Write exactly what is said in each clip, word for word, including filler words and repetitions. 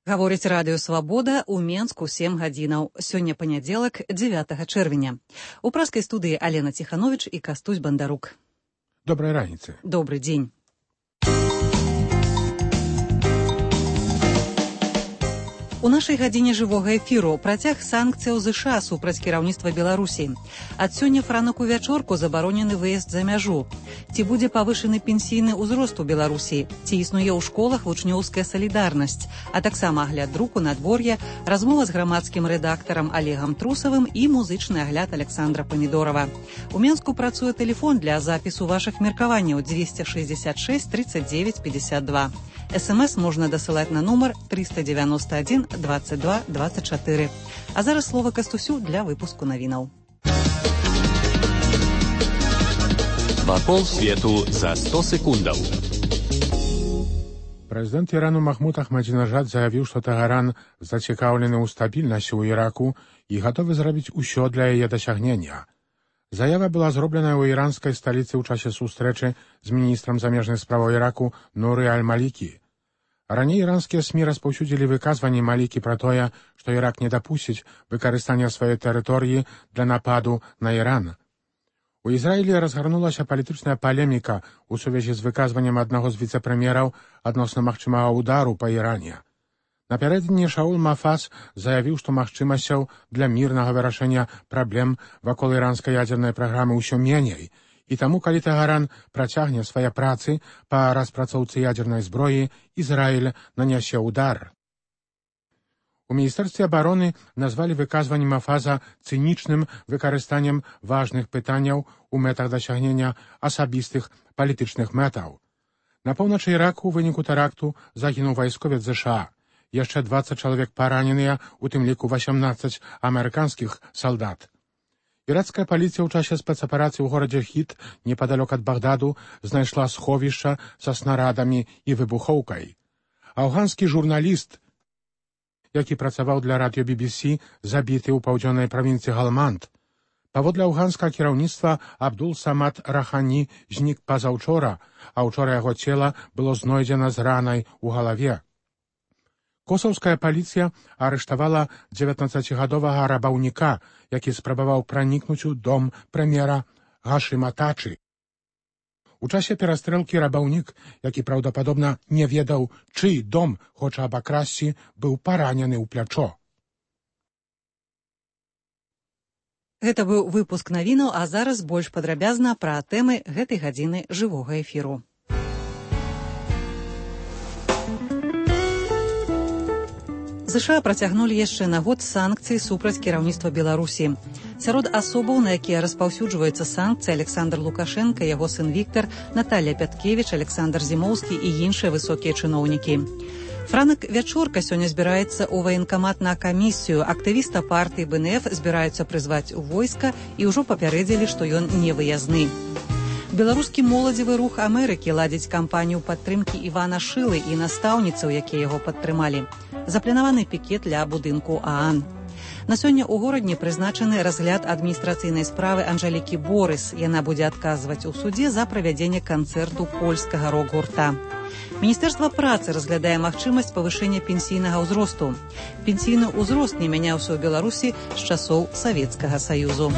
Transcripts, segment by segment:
Гаворыць радыё «Свабода» ў Менску сем гадзінаў. Сёння панядзелак, дзевятага чэрвеня. У праскай студыі Алена Ціхановіч і Кастусь Бандарук. Добрай раніцы. Добры дзень. У нашай гадзіне жывога эфіру працяг санкцыяў ЗША супраць кіраўніцтва Беларусі. Ад сёння франак у вячорку забаронены выезд за мяжу. Ці будзе павышаны пенсійны ўзрост у Беларусі? Ці існуе ў школах вучнёўская салідарнасць? А таксама агляд друку, надвор'я, размова з грамадскім рэдактарам Алегам Трусавым і музычны агляд Александра Памідорова. У Менску працуе тэлефон для запісу вашых меркаванняў двести шестьдесят шесть тридцать девять пятьдесят два. СМС можна дасылаць на нумар триста девяносто один двадцать два двадцать четыре. А зараз слова Кастусю для выпуску навінаў. Вакол свету за сто секундаў. Прэзідэнт Ірану Махмуд Ахмадзінажад заявіў, што Тэгеран зацікаўлены ў стабільнасці ў Іраку і гатовы зрабіць усё для яе дасягнення. Заява была зробленая ў іранскай сталіцы ў часе сустрэчы з міністрам замежных справаў Іраку Нуры Аль-Малікі. Раней іранскія СМІ распаўсюдзілі выказванні Малікі пра тое, што Ірак не дапусціць выкарыстання сваёй тэрыторыі для нападу на Іран. У Ізраілі разгарнулася палітычная палеміка ў сувязі з выказваннем аднаго з віцэ-прэм'ераў адносна магчымага ўдару па Іране. Напярэдадні Шаул Мафаз заявіў, што магчымасцяў для мірнага вырашэння праблем вакол іранскай ядзернай праграмы ўсё меней, і таму, калі Тэгеран працягне свае працы па распрацоўцы ядзернай зброі, Ізраіль нанясе ўдар. У міністэрстве абароны назвалі выказванне Мафаза цынічным выкарыстаннем важных пытанняў у мэтах дасягнення асабістых палітычных мэтаў. На поўначы Іраку ў выніку тэракту загінуў вайсковец ЗША. Яшчэ двадцать чалавек параненыя, у тым ліку восемнадцать амерыканскіх салдат. Іракская паліцыя ў часе спецаперацыі ў горадзе Хіт, непадалёк ад Багдаду, знайшла сховішча са снарадамі і выбухоўкай. Афганскі журналіст, які працаваў для радыё Би Би Си, забіты ў паўдзённай правінцыі Галманд. Паводле афганскага кіраўніцтва Абдул Самад Рахані знік пазаўчора, а ўчора яго цела было знойдзена з ранай у галаве. Косаўская паліцыя арыштавала дзевятнаццацігадовага рабаўніка, які спрабаваў пранікнуць у дом прэм'ера Гашыма Тачы. У часе перастрэлкі рабаўнік, які праўдападобна не ведаў, чый дом хоча абакрасці, быў паранены ў плячо. Гэта быў выпуск навінаў, а зараз больш падрабязна пра тэмы гэтай гадзіны жывога эфіру. ЗША працягнулі яшчэ на год санкцыі супраць кіраўніцтва Беларусі. Сярод асобаў, на якія распаўсюджваюцца санкцыі, Александр Лукашенко, яго сын Віктор, Наталья Пяткевіч, Александр Зімоўскі і іншыя высокія чыноўнікі. Франак вячорка сёння збіраецца ў ваенкамат на камісію. Актывіста партыі Бэ Эн Эф збіраюцца прызваць у войска і ўжо папярэдзілі, што ён не выязны. Беларускі моладзевы рух Амерыкі ладзіць кампанію падтрымкі Івана Шылы і настаўніцаў, якія яго падтрымалі. Запланаваны пікет ля будынку ААН. На сёння ў горадні прызначаны разгляд адміністрацыйнай справы Анжэлікі Борыс. Яна будзе адказваць у судзе за правядзенне канцэрту польскага рок-гурта. Міністэрства працы разглядае магчымасць павышэння пенсійнага ўзросту. Пенсійны ўзрост не мяняўся ў Беларусі з часоў Савецкага Саюзу.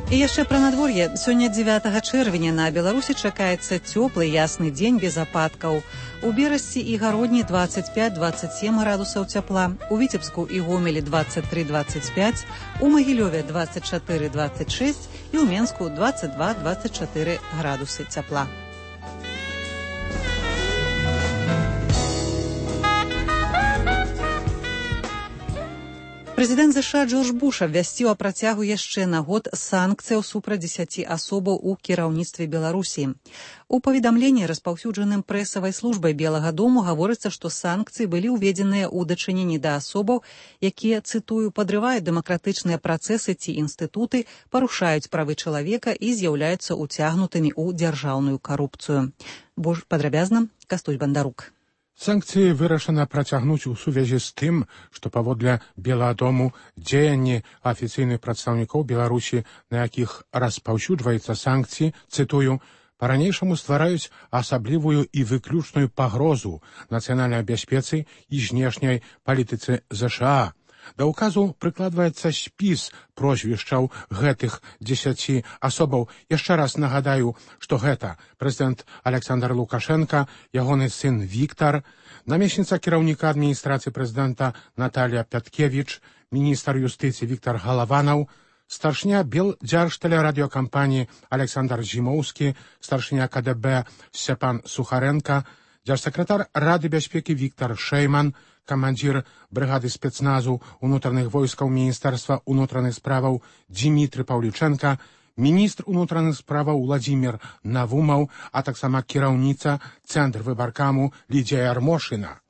І яшчэ пра надвор'е. Сёння дзевятага чэрвеня на Беларусі чакаецца цёплы ясны дзень без ападкаў. У Берасці і Гародні двадцать пять двадцать семь градусаў цяпла, у Віцебску і Гомелі двадцать три двадцать пять, у Магілёве двадцать четыре двадцать шесть і ў Менску двадцать два двадцать четыре градусы цяпла. Прэзідэнт ЗША Джордж Буш абвясціў о працягу яшчэ на год санкцыяў супраць дзесяці асобаў у кіраўніцтве Беларусі. У паведамленні, распаўсюджаным прэсавай службай Белага дому, гаворыцца, што санкцыі былі ўведзеныя ў дачыненні да асобаў, якія, цытую, падрываюць дэмакратычныя працэсы ці інстытуты, парушаюць правы чалавека і з'яўляюцца ўцягнутымі ў дзяржаўную карупцыю. Больш падрабязна Кастусь Бандарук. Санкцыі вырашана працягнуць у сувязі з тым, што паводле Белага дому дзеянні афіцыйных прадстаўнікоў Беларусі, на якіх распаўсюджваецца санкцыі, цытую, па-ранейшаму ствараюць асаблівую і выключную пагрозу нацыянальнай бяспецы і знешняй палітыцы ЗША. Да ўказу прыкладваецца спіс прозвішчаў гэтых дзесяці асобаў. Яшчэ раз нагадаю, што гэта прэзідэнт Александр Лукашенка, ягоны сын Віктар, намесніца кіраўніка адміністрацыі прэзідэнта Наталья Пяткевіч, міністр юстыцыі Віктар Галаванаў, старшыня Белдзяржтэлерадыёкампаніі Александр Зімоўскі, старшыня КДБ Сцяпан Сухаренко, дзяржсакратар Рады бяспекі Віктар Шэйман, камандзір брыгады спецназу ўнутраных войскаў Міністэрства ўнутраных справаў Дзімітры Паўлічэнка, міністр унутраных справаў Уладзімір Навумаў, а таксама кіраўніца Цэнтр выбаркаму Лідзія Ярмошына.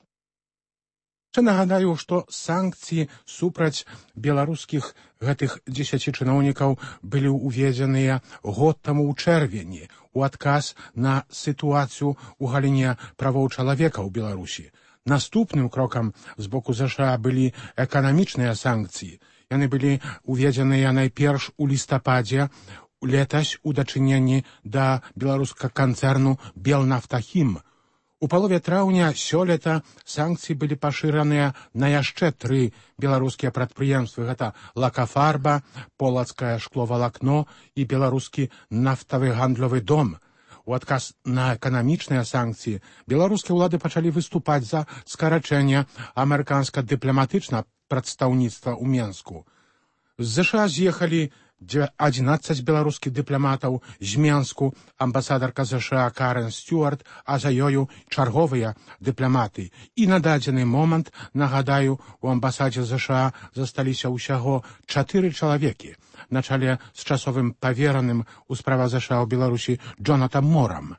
Ще нагадаю, што санкцыі супраць беларускіх гэтых дзесяці чыноўнікаў былі ўведзеныя год таму ў чэрвені у адказ на сітуацыю ў галіне правоў чалавека ў Беларусі. Наступным крокам з боку ЗША былі эканамічныя санкцыі. Яны былі уведзеныя найперш у лістападзе летась у дачыненні да беларускага канцэрну «Белнафтахім». У палове траўня сёлета санкцыі былі пашыраныя на яшчэ тры беларускія прадпрыемствы. Гэта «Лакафарба», «Полацкае шкловалакно» і беларускі нафтавы гандлёвы дом. У адказ на эканамічныя санкцыі беларускія ўлады пачалі выступаць за скарачэнне амерыканска-дыпламатычнага прадстаўніцтва ў Менску. З ЗША з'ехалі адзінаццаць беларускіх дыпламатаў з Менску, амбасадарка ЗША Карен Стюарт, а за ёю чарговыя дыпламаты. І на дадзены момант, нагадаю, у амбасадзе ЗША засталіся ўсяго чатыры чалавекі на чале з часовым павераным у справах ЗША ў Беларусі Джонатам Морам.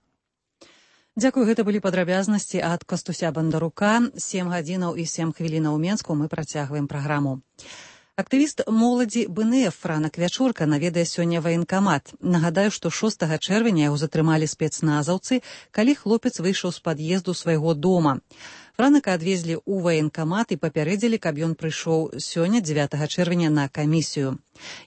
Дзякую, гэта былі падрабязнасці ад Кастуся Бандарука. сем гадзінаў і сем хвілінаў у Менску мы працягваем праграму. Актывіст моладзі БНФ Франак Вячурка наведае сёння ваенкамат. Нагадаю, што шостага чэрвеня яго затрымалі спецназаўцы, калі хлопец выйшаў з пад'езду свайго дома. Франака адвезлі ў ваенкамат і папярэдзілі, каб ён прыйшоў сёння дзевятага чэрвеня на камісію.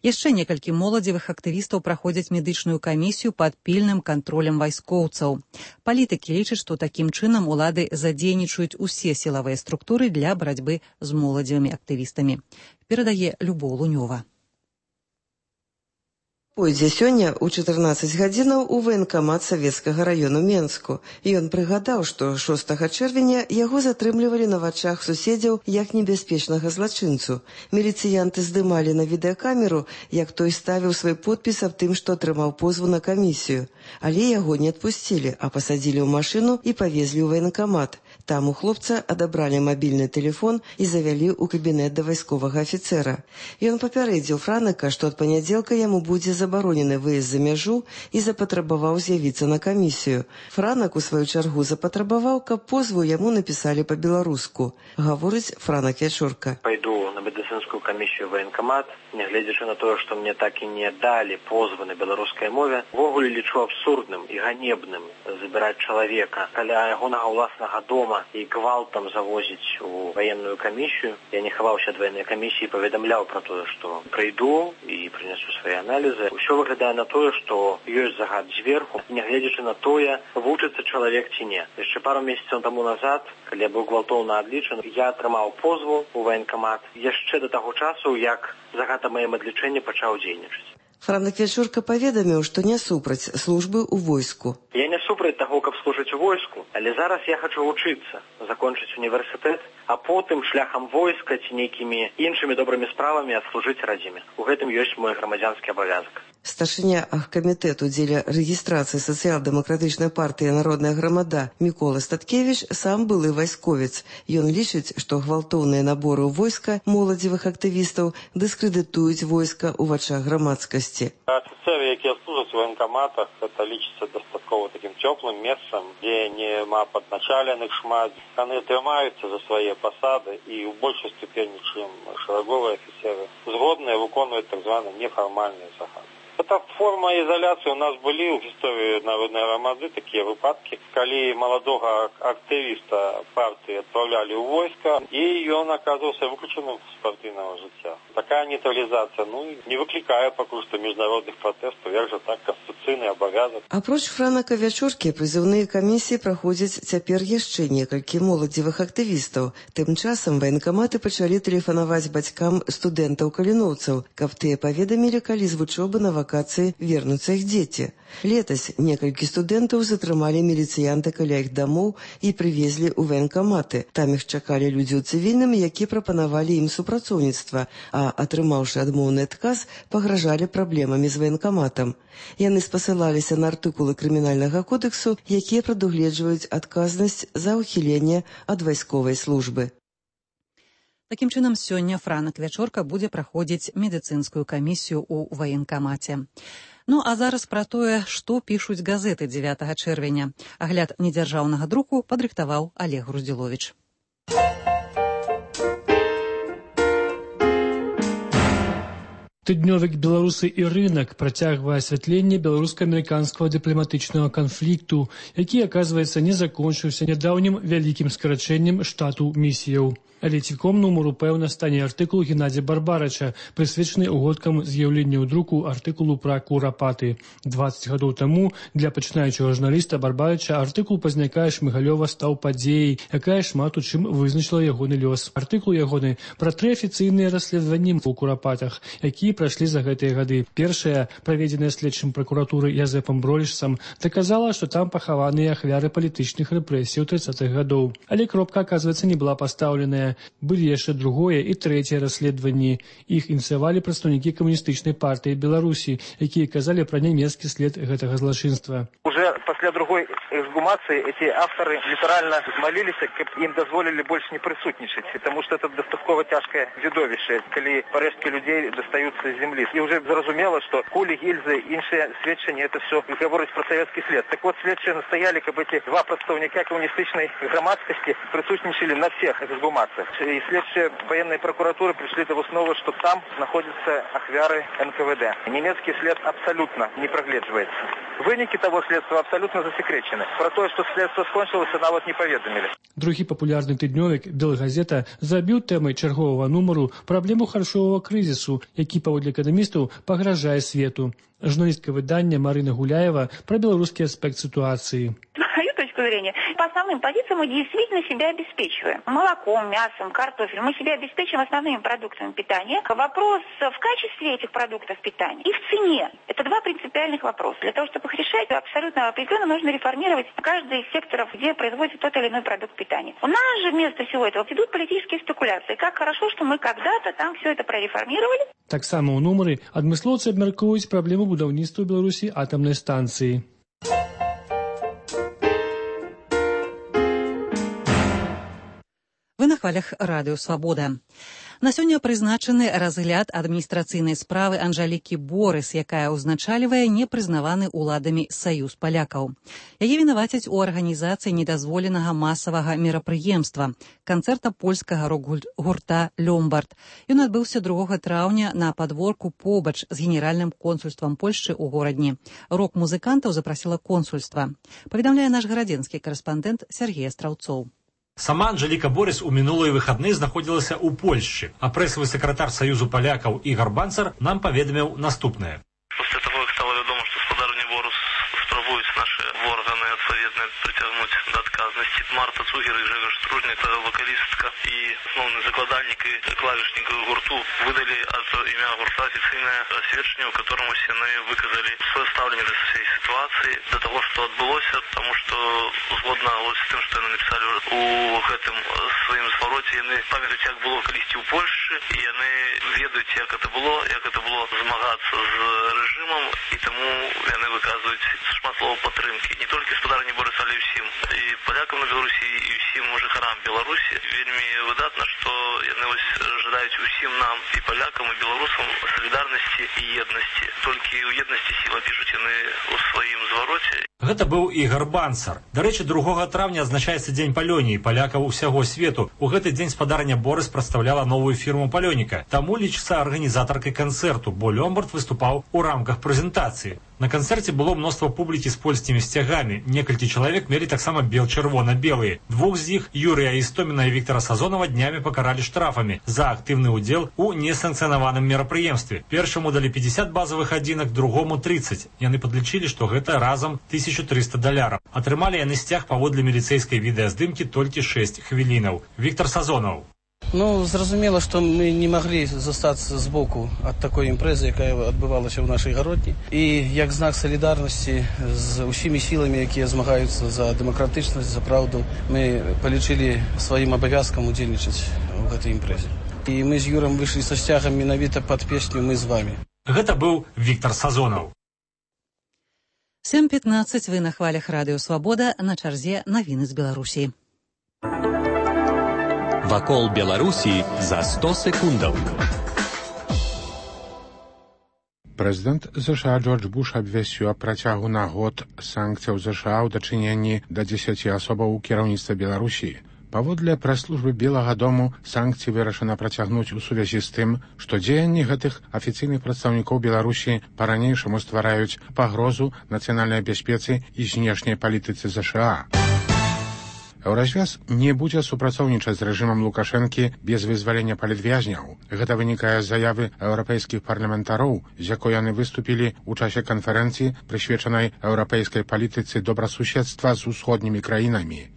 Яшчэ некалькі моладзевых актывістаў праходзяць медычную камісію пад пільным кантролем вайскоўцаў. Палітыкі лічаць, што такім чынам улады задзейнічаюць усе сілавыя структуры для барацьбы з моладзевымі актывістамі. Перадае Любоў Лунёва. Пойдзе сёння ў чатырнаццаць гадзінаў у ваенкамат Савецкага раёну Менску. Ён прыгадаў, што шостага чэрвеня яго затрымлівалі на вачах суседзяў як небяспечнага злачынцу. Міліцыянты здымалі на відэакамеру, як той ставіў свой подпіс аб тым, што атрымаў позву на камісію. Але яго не адпусцілі, а пасадзілі ў машыну і павезлі ў ваенкамат. Там у хлопца адабралі мабільны тэлефон і завялі ў кабінет да вайсковага афіцэра. Ён папярэдзіў Франака, што ад панядзелка яму будзе забаронены выезд за мяжу і запатрабаваў з'явіцца на камісію. Франак, у сваю чаргу, запатрабаваў, каб позву яму напісалі па-беларуску. Гаворыць Франак Вячурка. Пайду на медыцынскую камісію ваенкамат, нягледзячы на тое, што мне так і не далі позвы на беларускай мове. Увогуле лічу абсурдным і ганебным забіраць чалавека каля ягонага ўласнага дома і гвалтам завозіць у ваенную камісію. Я не хаваўся ад ваеннай камісіі, паведамляў пра тое, што прыйду і прынесу свае аналізы. Усё выглядае на тое, што ёсць загад зверху, нягледзячы на тое, вучыцца чалавек ці не. Яшчэ пару месяцаў таму назад, калі я быў гвалтоўна адлічаны, я атрымаў позву ў ваенкамат яшчэ да таго часу, як загад аб маім адлічэнні пачаў дзейнічаць. Франак Вячурка паведаміў, што не супраць службы ў войску. Я не супраць таго, каб служыць у войску, але зараз я хачу вучыцца, закончыць універсітэт, а потым шляхам войска ці нейкімі іншымі добрымі справамі адслужыць радзіме. У гэтым ёсць мой грамадзянскі абавязак. Старшыня аргкамітэту дзеля рэгістрацыі сацыял-дэмакратычнай партыі «Народная грамада» Мікола Статкевіч сам былы вайсковец. Ён лічыць, што гвалтоўныя наборы ў войска моладзевых актывістаў дыскрэдытуюць войска ў вачах грамадскасці. Афіцеры, якія служаць у ваенкаматах, это лічыцца дастаткова такім цёплым месцам, дзе нема падначаленых шмат. Яны трымаюцца за свае пасады і ў большай ступені, чым шараговыя афіцеры, згодныя выконваць так званы нефармальны загад. Это форма изоляции. У нас были в истории народной громады такие выпадки, когда молодого активиста партии отправляли в войска, и он оказывался выключенным из спортивного життя. Такая нейтрализация, ну, не выкликая пока что международных протестов, як же так, конституційний обов'язок. Апроч Франака Вячоркі, прызыўныя камісіі праходзяць цяпер яшчэ некалькі моладзевых актывістаў. Тым часам ваенкаматы пачалі тэлефанаваць бацькам студэнтаў-каліноўцаў, каб тыя паведамілі, калі з вучобы на вакацыі вернуцца іх дзеці. Летась некалькі студэнтаў затрымалі міліцыянты каля іх дамоў і прывезлі ў ваенкаматы. Там іх чакалі людзі ў цывільным, які прапанавалі ім супрацоўніцтва, а, атрымаўшы адмоўны адказ, пагражалі праблемамі з ваенкаматам. Яны спасылаліся на артыкулы крымінальнага кодэксу, якія прадугледжваюць адказнасць за ўхіленне ад вайсковай службы. Такім чынам, сёння Франак Вячорка будзе праходзіць медыцынскую камісію ў ваенкамаце. Ну, а зараз пра тое, што пішуць газеты дзевятага чэрвеня. Агляд недзяржаўнага друку падрыхтаваў Олег Груздзіловіч. Тыднёвік «Беларусы і рынак» працягвае асвятленне беларуска-амерыканскага дыпламатычнага канфлікту, які, аказваецца, не закончыўся нядаўнім вялікім скарачэннем штату місіяў. Але цілком нумару, пэўна, стане артыкул Геннадзя Барбарыча, прысвечаны угодкам з'яўлення ў друку артыкулу пра курапаты. дваццаць гадоў таму для пачынаючага журналіста Барбарыча артыкул пазнякае Шмыгалёва стаў падзеяй, якая шмат у чым вызначыла ягоны лёс. Артыкул ягоны пра тры афіцыйныя расследаванні ў курапатах, якія прайшлі за гэтыя гады. Першая, праведзеная следчым пракуратуры Язэпам Бролішсам, даказала, што там пахаваныя ахвяры палітычных рэпрэсій трыццатых гадоў. Але кропка, аказваецца, не была пастаўленая. Былі яшчэ другое і трэцяе расследаванні. Іх ініцыявалі прадстаўнікі камуністычнай партыі Беларусі, якія казалі пра нямецкі след гэтага злачынства. Уже пасля другой эксгумации эти авторы литерально молились, каб им дозволили больше не присутничать, потому что это достатково тяжкое видовище, коли парэшткі людей достаются з земли. И уже зразумело, что кулі, гильзы, іншыя сведчання, это все гаворыць про советский след. Так вот, следчие настояли, каб эти два прадстаўніка коммунистичной громадскости присутничали на всех эксгумациях. И следствие военной прокуратуры пришли до высновы, что там находятся ахвяры эн ка вэ дэ. Немецкий след абсолютно не прогледживается. Выники того следствия абсолютно засекречены. Про то, что следствие скончилось, нават не поведомили. Другі папулярны тыднёвік «Белгазета» забіў тэмай чарговага нумару праблему харчовага крызісу, які, паводле эканамістаў, пагражае свету. Журналістка выдання Марина Гуляева про белорусский аспект ситуации. Мою точку зрения, по основным позициям мы действительно себя обеспечиваем. Молоком, мясом, картофелем. Мы себя обеспечиваем основными продуктами питания. Вопрос в качестве этих продуктов питания и в цене. Это два принципиальных вопроса. Для того, чтобы их решать, абсолютно определенно нужно реформировать каждый из секторов, где производится тот или иной продукт питания. У нас же вместо всего этого идут политические спекуляции. Как хорошо, что мы когда-то там все это прореформировали. Так само у нумары адмыслоўцы абмяркоўваюць праблему будаўніцтва ў Беларусі атамнай станцыі. Вы на хвалях радыё «Свабода». На сёння прызначаны разгляд адміністрацыйнай справы Анжалікі Борыс, якая ўзначальвае непрызнаваны ўладамі саюз палякаў. Яе вінавацяць у арганізацыі недазволенага масавага мерапрыемства канцэрта польскага рок-гурта «Лёмбард». Ён адбыўся другога траўня на падворку побач з генеральным консульствам Польшчы ў горадні. Рок-музыкантаў запрасіла консульства. Паведамляе наш гарадзенскі карэспандэнт Сергей Астраўцоў. Сама Анжаліка Борыс у мінулыя выхадныя знаходзілася ў Польшчы, а прэсавы сакратар Саюзу палякаў Ігар Банцар нам паведаміў наступнае. После того, как стало вядома, что спадарню Борыс спрабуюць наши органы адпаведна прыцягнуць да адказнасці, Марта Цугер і Жэгаш Стружняк, вокалістка і асноўны закладальнік і клавішнік гурту, выдалі ад імя гурта афіцыйнае сведчанне, у котором усе яны выказалі сваё стаўленне да всей ситуации, до того, что адбылося, потому что згодна з тым, што яны написали у гэтым сваім звароце, яны памятаюць, як было калісьці ў Польшчы, і яны ведаюць, як это было, як это было змагацца з рэжымам, і таму яны выказваюць шмат слова падтрымкі. Не толькі спадарні Борыс, але ўсім. І палякам на Беларусі, і і ўсім жыхарам Беларусі. Вельмі выдатна, што яны вось жадаюць усім нам, і палякам, і беларусам, салідарнасці і еднасці. Толькі ў еднасці сіла, пішуць яны ў сваім звароце. Гэта быў Ігар Банцар. Дарэчы, другога траўня адзначаецца дзень палёніі палякаў усяго свету. У гэты дзень спадарня Борыс прадстаўляла новую фірму палёніка. Таму лічыцца арганізатаркай канцэрту, бо Лёмбард выступаў у рамках прэзентацыі. На канцэрце было мноства публікі з польскімі сцягамі. Некалькі чалавек мелі таксама бел-чырвона-белыя. Двух з іх, Юрыя Істоміна і Віктара Сазонава, днямі пакаралі штрафамі за актыўны ўдзел у несанкцыянаваным мерапрыемстве. Першаму далі пятьдесят базавых адзінак, другому тридцать. Яны падлічылі, што гэта разам тысяча триста даляраў. Атрымалі яны сцяг паводле міліцэйскай відэаздымкі толькі шэсць хвілінаў. Віктар Сазонаў. Ну, зразумела, што мы не маглі застацца збоку ад такой імпрэзы, якая адбывалася ў нашай гародні. І як знак салідарнасці з усімі сіламі, якія змагаюцца за дэмакратычнасць, за праўду, мы палічылі сваім абавязкам удзельнічаць у гэтай імпрэзе. І мы з Юрам выйшлі са сцягам менавіта пад песню «Мы з вамі». Гэта быў Віктар Сазонаў. сем пятнадцать вы на хвалях радыё «Свабода», на чарзе навіны з Беларусі. Вакол Беларусі за сто секундаў. Прэзідэнт ЗША Джордж Буш абвясціў аб працягу на год санкцыяў ЗША ў дачыненні да дзесяці асобаў у кіраўніцтва Беларусі. Паводле прэс-службы Белага дому санкцыі вырашана працягнуць у сувязі з тым, што дзеянні гэтых афіцыйных прадстаўнікоў Беларусі па-ранейшаму ствараюць пагрозу нацыянальнай бяспецы і знешняй палітыцы ЗША. Еўразвяз не будзе супрацоўнічаць з рэжымам Лукашэнкі без вызвалення палітвязняў. Гэта вынікае з заявы еўрапейскіх парламентароў, з якой яны выступілі ў часе канферэнцыі, прысвечанай еўрапейскай палітыцы добрасуседства з усходнімі краінамі.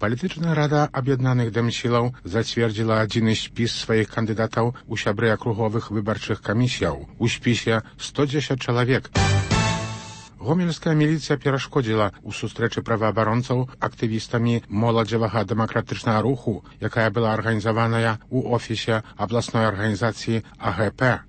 Палітычная рада аб'яднаных дэмсілаў зацвердзіла адзіны спіс сваіх кандыдатаў у сябры акруговых выбарчых камісіяў. У спісе сто дзесяць чалавек. Гомельская міліцыя перашкодзіла ў сустрэчы праваабаронцаў актывістамі моладзевага дэмакратычнага руху, якая была арганізаваная ў офісе абласной арганізацыі А Г П.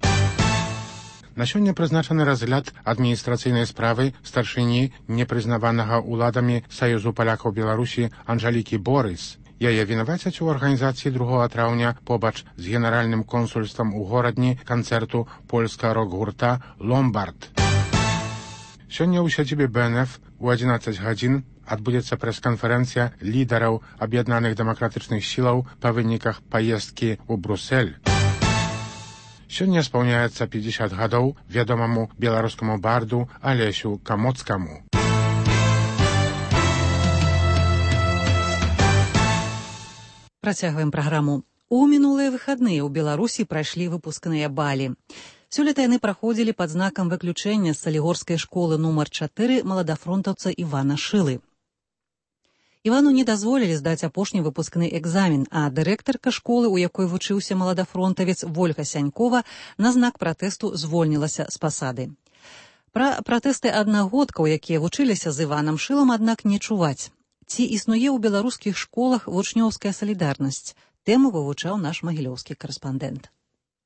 На сёння прызначаны разгляд адміністрацыйнай справы старшыні непрызнаванага ўладамі Саюзу палякаў Беларусі Анжалікі Борыс. Яе вінавацяць у арганізацыі другога траўня побач з генеральным консульствам у горадні канцэрту польскага рок-гурта «Ломбард». Сёння ў сядзібе Б Н Ф у адзінаццаць гадзін адбудзецца прэс-канферэнцыя лідараў аб'яднаных дэмакратычных сілаў па выніках паездкі ў Брусэль. Сёння спаўняецца пятьдесят гадоў вядомаму беларускаму барду Алесю Камоцкаму. Працягваем праграму. У мінулыя выхадныя ў Беларусі прайшлі выпускныя балі. Сёлета яны праходзілі пад знакам выключэння з салігорскай школы нумар чатыры маладафронтаўца Івана Шылы. Івану не дазволілі здаць апошні выпускны экзамен, а дырэктарка школы, у якой вучыўся маладафронтавец Вольга Сянькова, на знак пратэсту звольнілася з пасады. Пра пратэсты аднагодкаў, якія вучыліся з Іванам Шылам, аднак не чуваць. Ці існуе ў беларускіх школах вучнёўская салідарнасць? Тэму вывучаў наш магілёўскі карэспандэнт.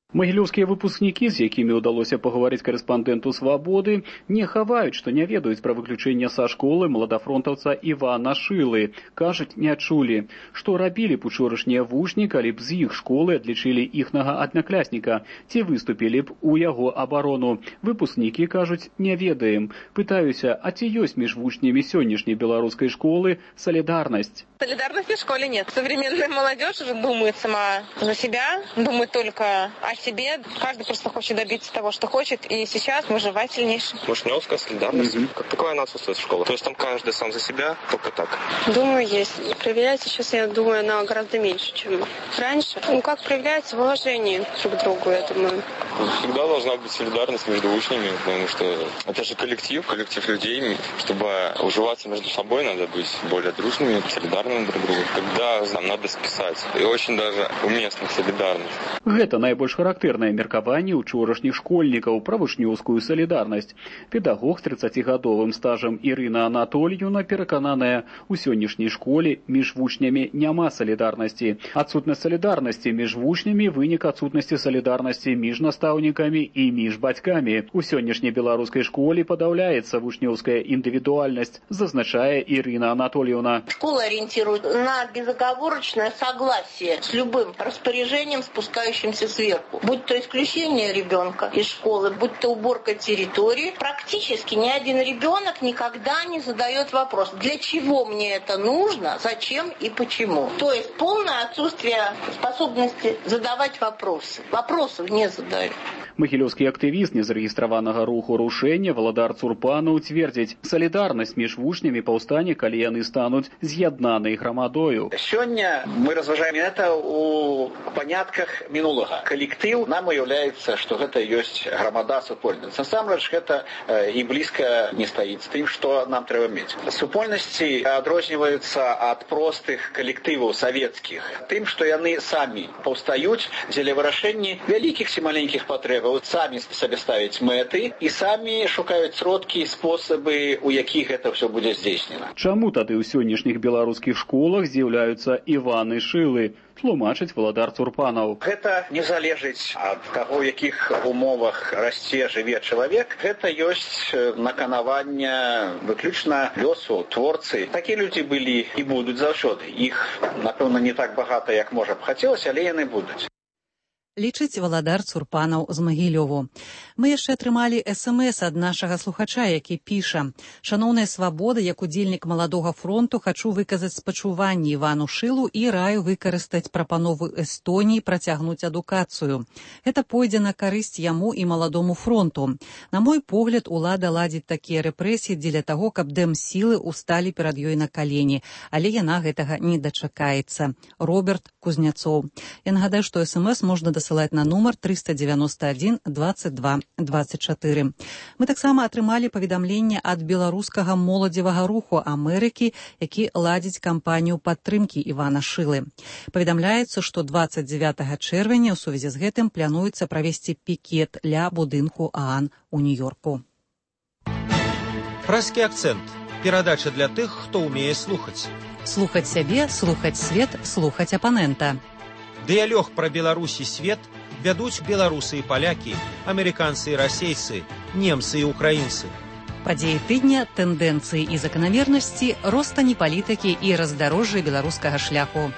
Магілёўскія выпускнікі, з якімі ўдалося пагаварыць карэспандэнту «Свабоды», не хаваюць, што не ведаюць пра выключэнне са школы маладафронтаўца Івана Шылы. Кажуць, не чулі. Што рабілі б учорашнія вучні, калі б з іх школы адлічылі іхнага аднаклясніка, ці выступілі б у яго абарону. Выпускнікі кажуць, не ведаем. Пытаюся, а ці ёсць між вучнямі сённяшняй беларускай школы солидарность? Солидарности в школе нет. Современная молодежь уже думает сама за себя, думает только о себе. Каждый просто хочет добиться того, что хочет. И сейчас мы живать сильнейшие. Вучнёвская солидарность. Mm-hmm. Как такое она отсутствует в школе? То есть там каждый сам за себя, только так? Думаю, есть. Проявлять сейчас, я думаю, она гораздо меньше, чем раньше. Ну, как проявляется уважение друг к другу, я думаю. Всегда должна быть солидарность между учнями, потому что это же коллектив, коллектив людей. Чтобы уживаться между собой, надо быть более дружными, солидарными друг к другу. Когда нам надо списать. И очень даже уместно солидарность. Гэта найбольш Характэрнае меркаванне учорашніх школьнікаў пра вучнёўскую салідарнасць. Педагог з трыццацігадовым стажам Ірына Анатольевна перакананая, у сённяшняй школе між вучнямі няма салідарнасці. Адсутнасць салідарнасці між вучнямі вынік адсутнасці салідарнасці між настаўнікамі і між бацькамі. У сённяшняй беларускай школе падаўляецца вучнёўская індывідуальнасць, зазначае Ірына Анатольевна. Школа ориентирует на безоговорочное согласие с любым распоряжением, спускающимся сверху. Будь то исключение ребенка из школы, будь то уборка территории. Практически ни один ребенок никогда не задает вопрос, для чего мне это нужно, зачем и почему. То есть полное отсутствие способности задавать вопросы. Вопросов не задают. Магілёўскі актывіст незарэгістраванага руху рушэння Валадар Цурпанаў цвердзіць, салідарнасць між вучнямі паўстане, калі яны стануць з'яднанай грамадою. Сёння мы разважаем это у панятках мінулага. Калектыў нам уяўляецца, што гэта ёсць грамада супольніца. Насамрэч гэта і блізка не стаіць з тым, што нам трэба мець. Супольнасці адрозніваюцца ад простых калектываў савецкіх тым, што яны самі паўстаюць дзеля вырашэння вялікіх ці маленькіх патрэбаў. Самі сабе ставяць мэты і самі шукаюць сродкі і спосабы, у якіх гэта ўсё будзе здзейснена. Чаму тады ў сённяшніх беларускіх школах з'яўляюцца Іваны Шылы? Тлумачыць Валадар Цурпанаў. Гэта не залежыць ад таго, у якіх умовах расце, жыве чалавек. Гэта ёсць наканаванне выключна лёсу творцы. Такія людзі былі і будуць заўсёды. Іх, напэўна, не так багата, як можа б хацелася, але яны будуць. Лічыць Валадар Цурпанаў з Магілёву. Мы яшчэ атрымалі эс-эм-эс ад нашага слухача, які піша: «Шаноўная свабода, як удзельнік маладога фронту, хачу выказаць спачуванне Івану Шылу і раю выкарыстаць прапанову Эстоніі працягнуць адукацыю. Гэта пойдзе на карысць яму і маладому фронту. На мой погляд, улада ладзіць такія рэпрэсіі дзеля таго, каб дэм-сілы усталі перад ёй на калені, але яна гэтага не дачакаецца. Роберт Кузняцоў». Я нагадаю, што эс-эм-эс можна дасылаць на нумар трыста дзевяносто адзін двадцать два двадцать чатыры. Мы таксама атрымалі паведамленне ад беларускага моладзевага руху Амерыкі, які ладзіць кампанію падтрымкі Івана Шылы. Паведамляецца, што двадцать девятого чэрвеня ў сувязі з гэтым плануецца правесці пікет ля будынку ААН у Нью-Йорку. Праські акцэнт. Перадача для тых, хто ўмее слухаць. Слухаць сябе, слухаць свет, слухаць апанента. Дыялог пра Беларусь і свет вядуць беларусы і палякі, амерыканцы і расейцы, немцы і украінцы. Падзеі тыдня, тэндэнцыі і заканамернасці, ростані палітыкі і раздарожжа беларускага шляху.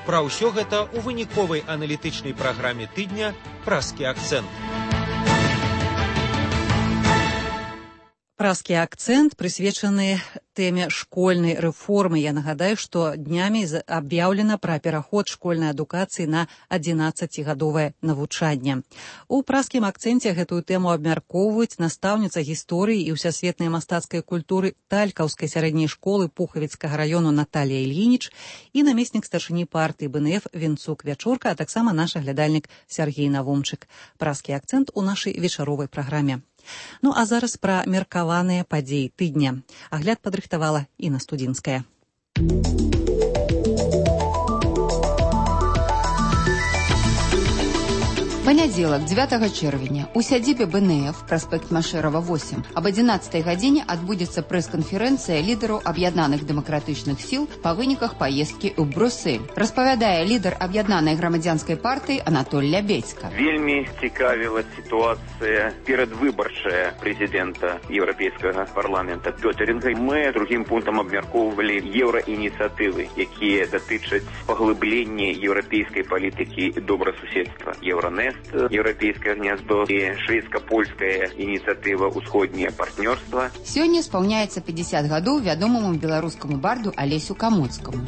Пра ўсё гэта ў выніковай аналітычнай праграме тыдня «Праскі акцэнт». Праскі акцэнт прысвечаны тэме школьнай рэформы. Я нагадаю, што днямі аб'яўлена пра пераход школьнай адукацыі на адзінаццацігадовае навучанне. У праскім акцэнце гэтую тэму абмяркоўваюць настаўніца гісторыі і ўсясветнай мастацкай культуры Талькаўскай сярэдняй школы Пухавіцкага раёну Наталія Ільініч і намеснік старшыні партыі бэ эн эф Венцук Вячорка, а таксама наш аглядальнік Сяргей Навумчык. Праскі акцэнт у нашай вечаровай праграме. Ну а зараз пра меркаваныя падзеі тыдня. Агляд падрыхтавала Інна Студзінская. Понедельник, девятого чэрвеня, у сядзібе бэ эн эф, праспект Машерова, восемь, об одиннадцатой гадзіне адбудзецца прэс-канферэнцыя лідараў аб'яднаных дэмакратычных сіл па выніках паездкі ў Брюссель. Распавядае лідар аб'яднанай грамадзянскай партыі Анатоль Лябедзька. Вельмі цікавіла сітуацыя перадвыбарчая прэзідэнта Еўрапейскага парламента Пётэрінга. Мы другім пунктам абмяркоўвалі еўраініцыятывы, якія датычаць паглыблення еўрапейскай палітыкі добрасуседства. Еўранест, Еўрапейскае гняздо і шведска-польская ініцыятыва «Усходняе партнёрства». Сёння спаўняецца пятьдесят гадоў вядомаму беларускаму барду Алесю Камоцкаму.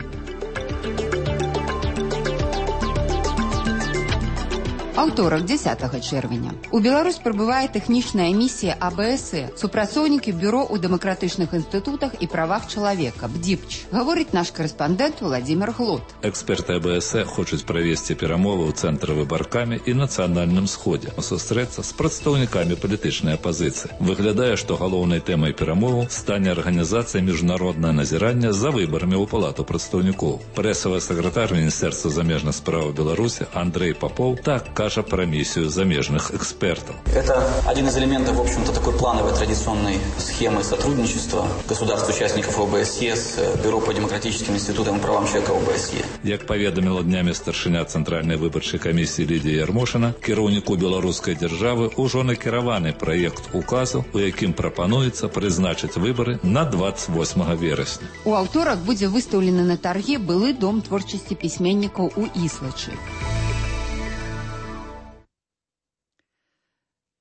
Аўторак, дзесятага чэрвеня. У Беларусь прыбывае тэхнічная місія а бэ эс э, супрацоўнікі бюро ў дэмакратычных інстытутах і правах чалавека, бэ ді пэ ч, гаворыць наш карэспандэнт Владзімир Глот. Эксперты а бэ эс э хочуць правесці перамовы ў цэнтры выбаркамі і нацыянальным сходзе, сустрэцца з прадстаўнікамі палітычнай апазіцыі. Выглядае, што галоўнай тэмай перамоваў стане арганізацыя міжнароднае назірання за выбарамі ў палату прадстаўнікоў. Прэсавы сакратар Міністэрства замежных спраў Беларусі Андрэй Папоў так кажа кажа пра миссию замежных экспертов. Это один из элементов, в общем-то, такой плановой традиционной схемы сотрудничества государств-участников ОБСЕ с Бюро по демократическим институтам и правам человека ОБСЕ. Як паведаміла днямі старшыня Цэнтральнай выбарчай камісіі Лідія Ярмошына, кіраўніку беларускай дзяржавы ўжо накіраваны праект указу, у якім прапануецца прызначыць выбары на двадцать восьмага верасня. У аўторак будзе выстаўлены на тарге былы дом творчасці пісьменнікаў у Іслачы.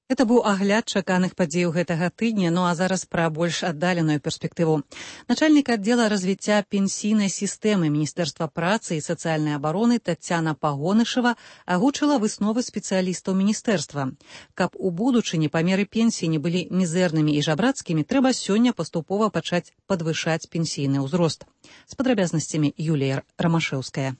Это быў агляд чаканых падзеяў гэтага тыдня, ну а зараз пра больш аддаленую перспектыву. Начальнік аддзела развіцця пенсійнай сістэмы Міністэрства працы і сацыяльнай абароны Тацяна Пагонышева агучыла высновы спецыялістаў міністэрства. Каб у будучыні памеры пенсіі не былі мізэрнымі і жабрацкімі, трэба сёння паступова пачаць падвышаць пенсійны ўзрост. З падрабязнасцямі Юлія Рамашэўская.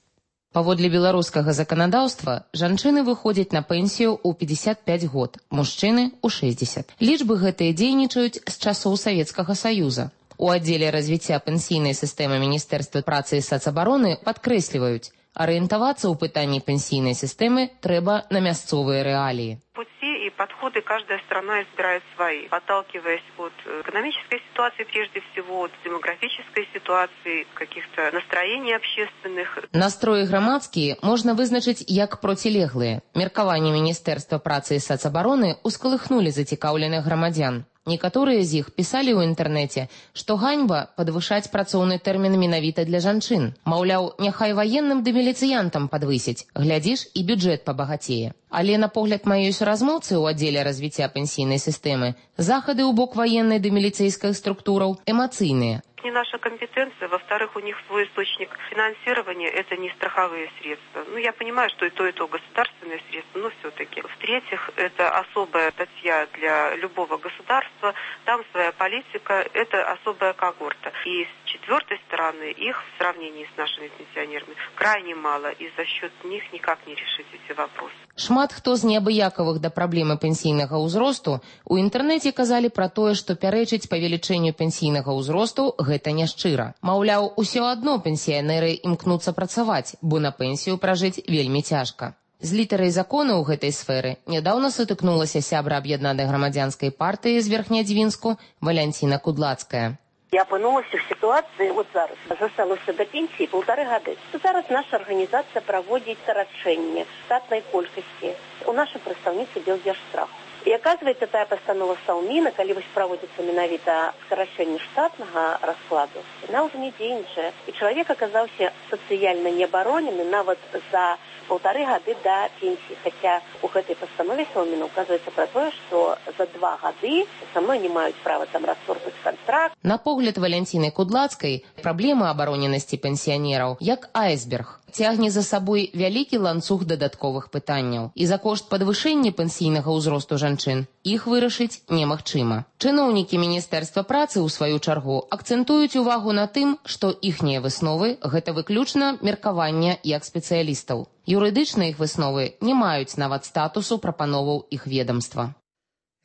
Паводле беларускага заканадаўства, жанчыны выходзяць на пенсію ў пятьдесят пять год, мужчыны ў шестьдесят. Лічбы гэтыя дзейнічаюць з часоў Савецкага Саюза. У аддзеле развіцця пенсійнай сістэмы Міністэрства працы і сацабароны падкрэсліваюць, арыентавацца ў пытанні пенсійнай сістэмы трэба на мясцовыя рэаліі. Пути и подходы каждая страна избирает свои, отталкиваясь от экономической ситуации прежде всего, от демографической ситуации, каких-то настроений общественных. Настроі грамадскія можна вызначыць як процілеглыя. Меркаванне Міністэрства працы і сацабароны ускалыхнулі зацікаўленых грамадзян. Некаторыя з іх пісалі ў інтэрнэце, што ганьба падвышаць працоўны тэрмін менавіта для жанчын. Маўляў, няхай ваенным ды міліцыянтам падвысіць, глядзіш, і бюджэт пабагацее. Але на погляд маёй суразмоўцы ў аддзеле развіцця пенсійнай сістэмы, захады ў бок ваеннай ды міліцэйскай структураў эмацыйныя. Не наша компетенция, во-вторых, у них свой источник финансирования, это не страховые средства. Ну, я понимаю, что и то, и то государственные средства, но все-таки. В-третьих, это особая статья для любого государства, там своя политика, это особая когорта. И с четвертой стороны, их в сравнении с нашими пенсионерами крайне мало, и за счет них никак не решить эти вопросы. Шмат хто з неабыякавых да праблемы пенсійнага ўзросту у інтэрнэце казалі пра тое, што пярэчыць павелічэнню пенсійнага ўзросту гэта няшчыра. Маўляў, усё адно пенсіянеры імкнуцца працаваць, бо на пенсію пражыць вельмі цяжка. З літарай закону ў гэтай сферы нядаўна сутыкнулася сябра аб'яднанай грамадзянскай партыі з Верхнядзвінску Валянціна Кудлацкая. Я апынулася в ситуации, вот зараз, засталося до пенсии полторы года. Зараз наша организация проводит скорочение штатной колькости у нашей представницы Белдержстраху. И оказывается, тая постанова Сауміна, калі вось праводзіцца менавіта скарачэнне штатнага раскладу, яна ўжо не дзейнічае. І чалавек аказаўся сацыяльна неабаронены нават за полторы гады до пенсии. Хотя у гэтай постанове Сауміна указывается про тое, что за два гады со мной не маюць права там распортаць контракт. На погляд Валянціны Кудлацкай, праблема абароненасці пенсіянераў як айсберг. Цягне за сабой вялікі ланцуг дадатковых пытанняў. І за кошт падвышэння пенсійнага ўзросту жанчын іх вырашыць немагчыма. Чыноўнікі Міністэрства працы, у сваю чаргу, акцэнтуюць увагу на тым, што іхнія высновы – гэта выключна меркаванне як спецыялістаў. Юрыдычна іх высновы не маюць нават статусу прапановаў іх ведомства.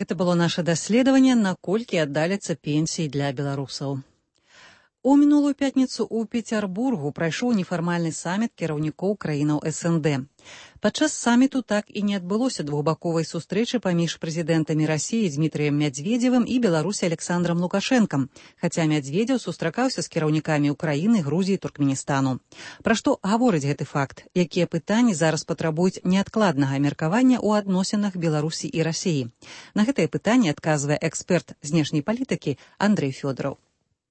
Гэта было наше даследаванне, наколькі аддаляцца пенсіі для беларусаў. У мінулую пятніцу ў Пецярбургу прайшоў нефармальны саміт кіраўнікоў краінаў эс эн дэ. Падчас саміту так і не адбылося двухбаковай сустрэчы паміж прэзідэнтамі Расіі Дмітрыем Мядзведзевым і Беларусі Александрам Лукашэнкам, хаця Мядзведзеў сустракаўся з кіраўнікамі Украіны, Грузіі, Туркменістану. Пра што гаворыць гэты факт? Якія пытанні зараз патрабуюць неадкладнага меркавання ў адносінах Беларусі і Расіі? На гэтае пытанне адказвае эксперт знешняй палітыкі Андрэй Фёдораў.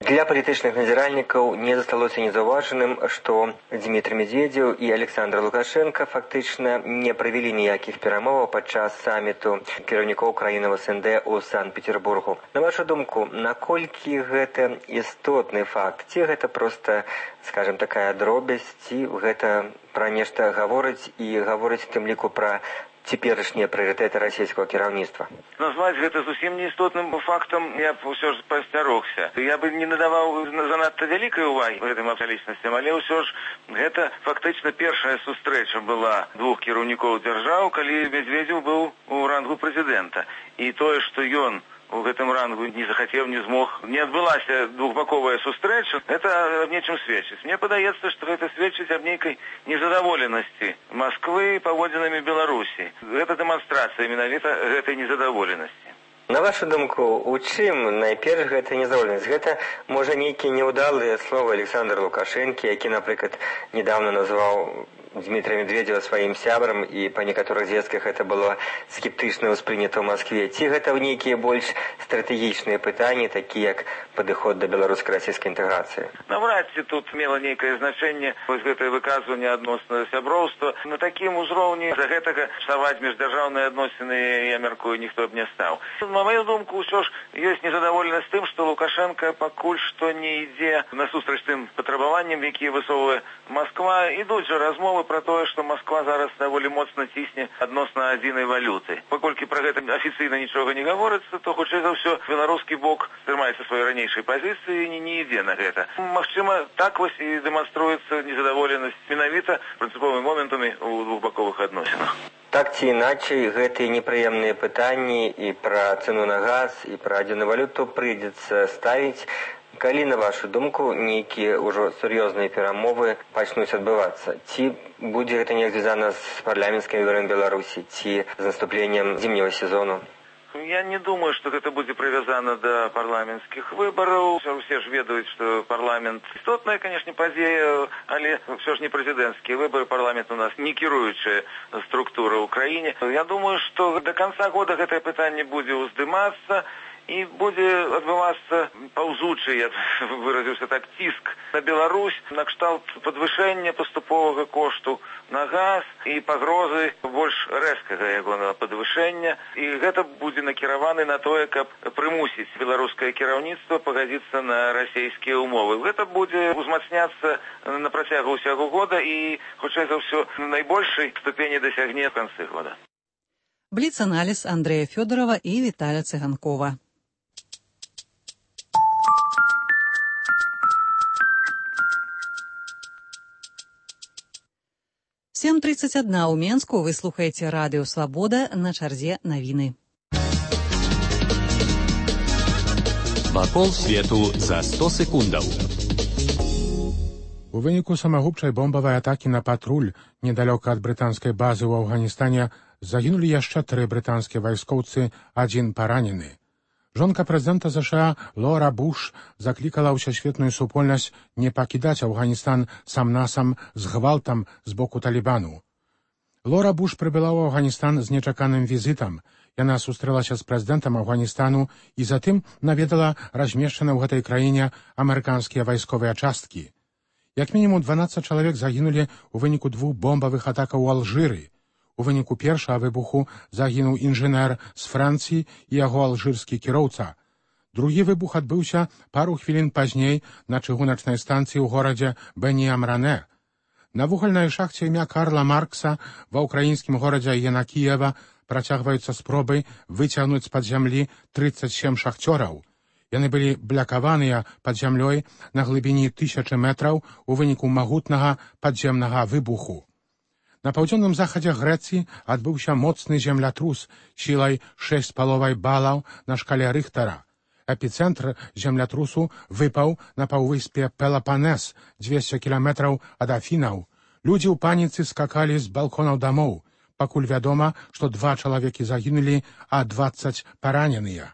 Для палітычных назіральнікаў не засталося незаўважаным, што Дмітрый Медведзеў і Александр Лукашенко фактычна не правялі ніякіх перамоваў падчас саміту кіраўнікоў краінаў эс эн дэ ў Санкт-Петербургу. На вашу думку, наколькі гэта істотны факт? Ці гэта проста, скажем, такая дробязь, ці гэта пра нешта гаворыць і гаворыць тым ліку пра цяперашнія прыярытэты расійскага кіраўніцтва? Назваць гэта зусім неістотным фактам я б ўсё ж пасцярогся. Я бы не надаваў занадта вялікай увагі гэтым акалічнасцям, але ўсё ж гэта фактычна першая сустрэча была двух кіраўнікоў дзяржаў, калі Медведзеў быў у рангу прэзідэнта. І тое, што ён у гэтым рангу не захацеў, не змог. Не адбылася двухбаковая сустрэча. Это аб нечым сведчыць. Мне падаецца, што гэта сведчыць аб нейкай незадаволенасці Масквы паводзінамі Беларусі. Гэта дэманстрацыя менавіта гэтай незадаволенасці. На вашу думку, у чым найперш гэта незадаволенасць? Гэта, можа, нейкія няўдалыя словы Александра Лукашэнкі, які, напрыклад, недавно назваў Дмитрия Медведева сваім сябрам, і па некаторых звестках гэта было скептычна ўспрынята ў Маскве. Ці гэта нейкія больш стратэгічныя пытанні, такія як падыход да беларуска-расійскай інтэграцыі? Наўрад ці тут мела нейкае значэнне вось гэтае выказванне адносна сяброўства. На такім узроўні за гэтага псаваць міждзяржаўныя адносіны, я мяркую, ніхто б не стаў. На маю думку, ўсё ж ёсць незадаволенасць тым, што Лукашенко пакуль што не ідзе насустрач тым патрабаванням, якія высоўвае Масква. Ідуць жа размовы про тое, што Масква зараз даволі моцна цісне адносна адзінай валюты. Паколькі пра гэта афіцыйна нічога не гаворыцца, то хутчэй за ўсё беларускі бок трымаецца сваёй ранейшай пазіцыі і не ідзе на гэта. Магчыма, так вось і дэманструецца незадаволенасць менавіта прынцыповымі моментамі ў двухбаковых адносінах. Так ці іначай, гэтыя непрыемныя пытанні і пра цэну на газ, і пра адзіную валюту прыйдзецца ставіць. Калі, на вашу думку, нейкія ўжо сур'ёзныя перамовы пачнуць адбывацца? Ці будзе гэта неяк звязана з парламенцкімі выбарамі Беларусі, ці з наступленнем зімнего сезону? Я не думаю, што гэта будзе прывязана да парламенцкіх выбараў. Усе ж ведаюць, што парламент істотная, канешне, падзея, але ўсё ж не прэзідэнцкія выбары. Парламент у нас не кіруючая структура ў краіне. Я думаю, што да канца года гэтае пытанне будзе ўздымацца, і будзе адбывацца паўзучы, я выразіўся так, ціск на Беларусь, на кшталт падвышэння паступовага кошту на газ і пагрозы больш рэзкага яго на падвышэння. І гэта будзе накіраваны на тое, каб прымусіць беларускае кіраўніцтва пагадзіцца на расійскія ўмовы. Гэта будзе узмацняцца на працягу ўсяго года і, хутчэй за ўсё, найбольшай ступені дасягне ў канцы года. Бліц-аналіз Андрэя Фёдорова і Віталя Цыганкова. сем тридцать один у Менску. Вы слухаеце радыё «Свабода», на чарзе навіны. Вакол свету за сто секундаў. У выніку самагубчай бомбавай атакі на патруль недалёка ад брытанскай базы ў Афганістане загінулі яшчэ тры брытанскія вайскоўцы, адзін паранены. Жонка прэзідэнта ЗША Лора Буш заклікала ўсесветную супольнасць не пакідаць Афганістан сам-насам з гвалтам з боку Талібану. Лора Буш прыбыла ў Афганістан з нечаканым візітам. Яна сустрэлася з прэзідэнтам Афганістана і затым наведала размешчаны ў гэтай краіне амерыканскія вайсковыя часткі. Як мінімум дванаццаць чалавек загінулі ў выніку двух бомбавых атакаў у Алжыры. У выніку першага выбуху загінуў інжынер з Францыі і яго алжырскі кіроўца. Другі выбух адбыўся пару хвілін пазней на чыгуначнай станцыі ў горадзе Бені-Амране. На вугальнай шахце імя Карла Маркса ва ўкраінскім горадзе Янакіева працягваюцца спробы выцягнуць з-пад зямлі трыццаць сем шахцёраў. Яны былі блякаваныя пад зямлёй на глыбіні тысячы метраў у выніку магутнага падземнага выбуху. На паўдзённым захадзе Грэцыі адбыўся моцны землятрус сілай шэсць з паловай балаў на шкале Рыхтара. Эпіцэнтр землятрусу выпаў на паўвыспе Пелапанес, дзвесце кіламетраў ад Афінаў. Людзі ў паніцы скакалі з балконаў дамоў. Пакуль вядома, што два чалавекі загінулі, а дваццаць параненыя.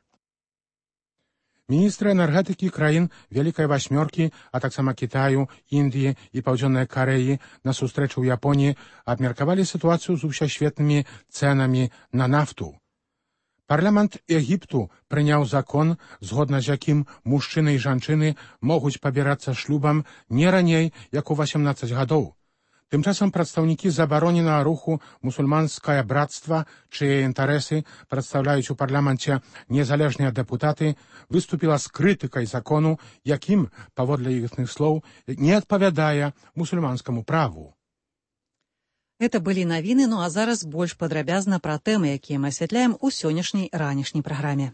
Міністры энергетыкі краін Вялікай Васьмёркі, а таксама Кітаю, Індыі і Паўдзённай Карэі на сустрэчу ў Японіі абмеркавалі сітуацыю з усесветнымі цэнамі на нафту. Парламент Егіпту прыняў закон, згодна з якім мужчыны і жанчыны могуць пабірацца шлюбам не раней, як у васемнаццаць гадоў. Тым часам прадстаўнікі забароненага руху «Мусульманскае братства», чые інтарэсы прадстаўляюць у парламенце незалежныя дэпутаты, выступіла з крытыкай закону, якім, паводле іхных слоў, не адпавядае мусульманскаму праву. Это былі навіны, ну а зараз больш падрабязна пра тэмы, якія мы асвятляем у сённяшняй ранішняй праграме.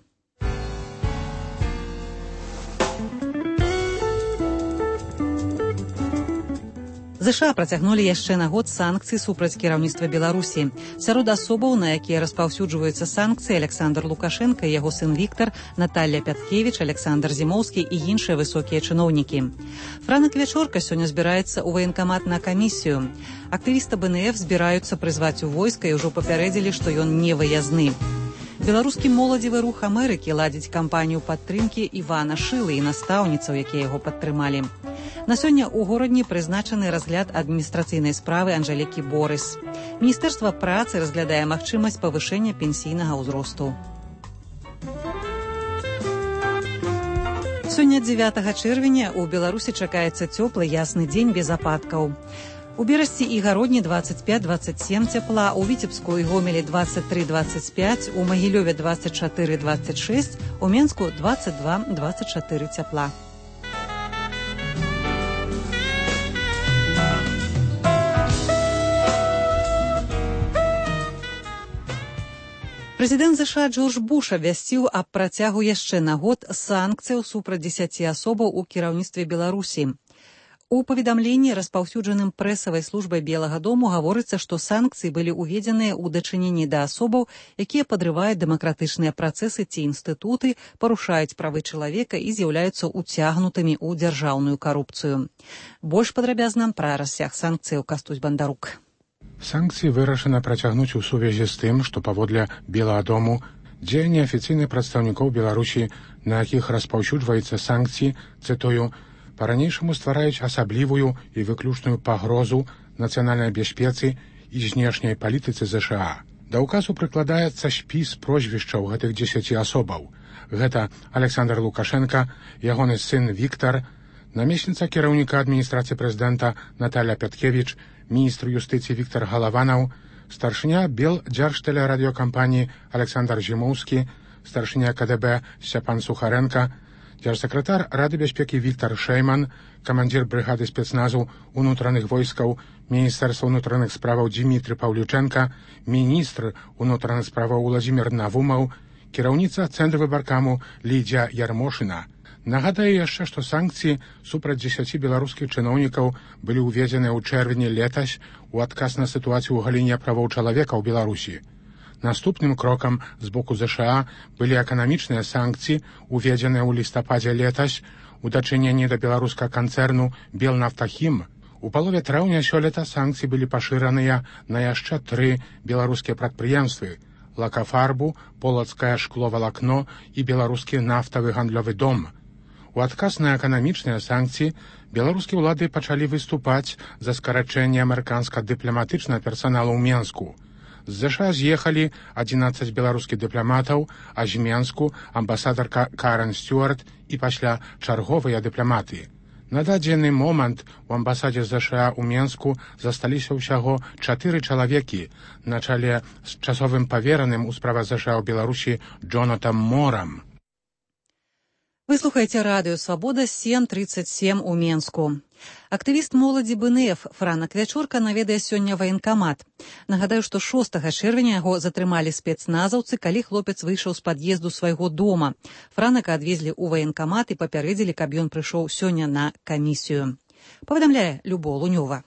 ЗША працягнулі яшчэ на год санкцыі супраць кіраўніцтва Беларусі. Сярод асобаў, на якія распаўсюджваюцца санкцыі, Александр Лукашенко, яго сын Віктор, Наталья Пяткевіч, Александр Зімоўскі і іншыя высокія чыноўнікі. Франак Вячорка сёння збіраецца ў ваенкамат на камісію. Актывісты БНФ збіраюцца прызваць у войска і ўжо папярэдзілі, што ён не выязны. Беларускі моладзевы рух Амерыкі ладзіць кампанію падтрымкі Івана Шылы і настаўніцаў, якія яго падтрымалі. На сёння ў горадні прызначаны разгляд адміністрацыйнай справы Анжэлікі Борыс. Міністэрства працы разглядае магчымасць павышэння пенсійнага ўзросту. Сёння дзевятага чэрвеня у Беларусі чакаецца цёплы ясны дзень без ападкаў. У Берасці і Гародні двадцать пять двадцать семь цяпла, у Віцебску і Гомелі двадцать три двадцать пять, у Магілёве двадцать четыре двадцать шесть, у Менску двадцать два двадцать четыре цяпла. Прэзідэнт ЗША Джордж Буш абвясціў аб працягу яшчэ на год санкцыяў супраць дзесяці асобаў у кіраўніцтве Беларусі. У паведамленні, распаўсюджаным прэсавай службай Белага дому, гаворыцца, што санкцыі былі ўведзеныя ў дачыненні да асобаў, якія падрываюць дэмакратычныя працэсы ці інстытуты, парушаюць правы чалавека і з'яўляюцца уцягнутымі ў дзяржаўную карупцыю. Больш падрабязна пра расцяг санкцыяў Кастусь Бандарук. Санкцыі вырашана працягнуць у сувязі з тым, што паводле Белага дому дзеянні афіцыйных прадстаўнікоў Беларусі, на якіх распаўсюджваецца санкцыі, цытую, па-ранейшаму ствараюць асаблівую і выключную пагрозу нацыянальнай бяспецы і знешняй палітыцы ЗША. Да ўказу прыкладаецца спіс прозвішчаў гэтых дзесяці асобаў. Гэта Александр Лукашенко, ягоны сын Віктор, намесніца кіраўніка адміністрацыі прэзідэнта Наталья Пяткевіч, міністр юстыцыі Віктор Галаванаў, старшыня Белдзяржтэлерадыёкампаніі Александр Зімоўскі, старшыня КДБ Сцяпан Сухаренко, дзяржсакратар Рады бяспекі Віктор Шэйман, камандзір брыгады спецназу ўнутраных войскаў Міністэрства ўнутраных справаў Дзімітры Паўлючэнка, міністр ўнутраных справаў Уладзімір Навумаў, кіраўніца Цэнтрвыбаркаму Лідзя Ярмошына. Нагадаю яшчэ, што санкцыі супраць дзесяці беларускіх чыноўнікаў былі ўведзеныя ў чэрвені летась у адказ на сітуацыю ў галіне правоў чалавека ў Беларусі. Наступным крокам з боку ЗША былі эканамічныя санкцыі, уведзеныя ў лістападзе летась у дачыненні да беларускага канцэрну «Белнафтахім». У палове траўня сёлета санкцыі былі пашыраныя на яшчэ тры беларускія прадпрыемствы – «Лакафарбу», «Полацкае шкловалакно» і беларускі нафтавы гандлёвы дом. У адказ на эканамічныя санкцыі беларускія ўлады пачалі выступаць за скарачэнне амерыканскага дыпламатычнага персаналу ў Менску. З ЗША з'ехалі адзінаццаць беларускіх дыпламатаў, а з Менску амбасадарка Карен Стюарт і пасля чарговыя дыпламаты. На дадзены момант у амбасадзе ЗША ў Менску засталіся ўсяго чатыры чалавекі на чале з часовым павераным у справах ЗША ў Беларусі Джонатам Морам. Вы слухаеце радыё «Свабода» сем тридцать семь у Менску. Актывіст моладзі БНФ Франак Вячорка наведае сёння ваенкамат. Нагадаю, што шостага чэрвеня яго затрымалі спецназаўцы, калі хлопец выйшаў з пад'езду свайго дома. Франака адвезлі ў ваенкамат і папярэдзілі, каб ён прыйшоў сёння на камісію. Паведамляе Любо Лунёва.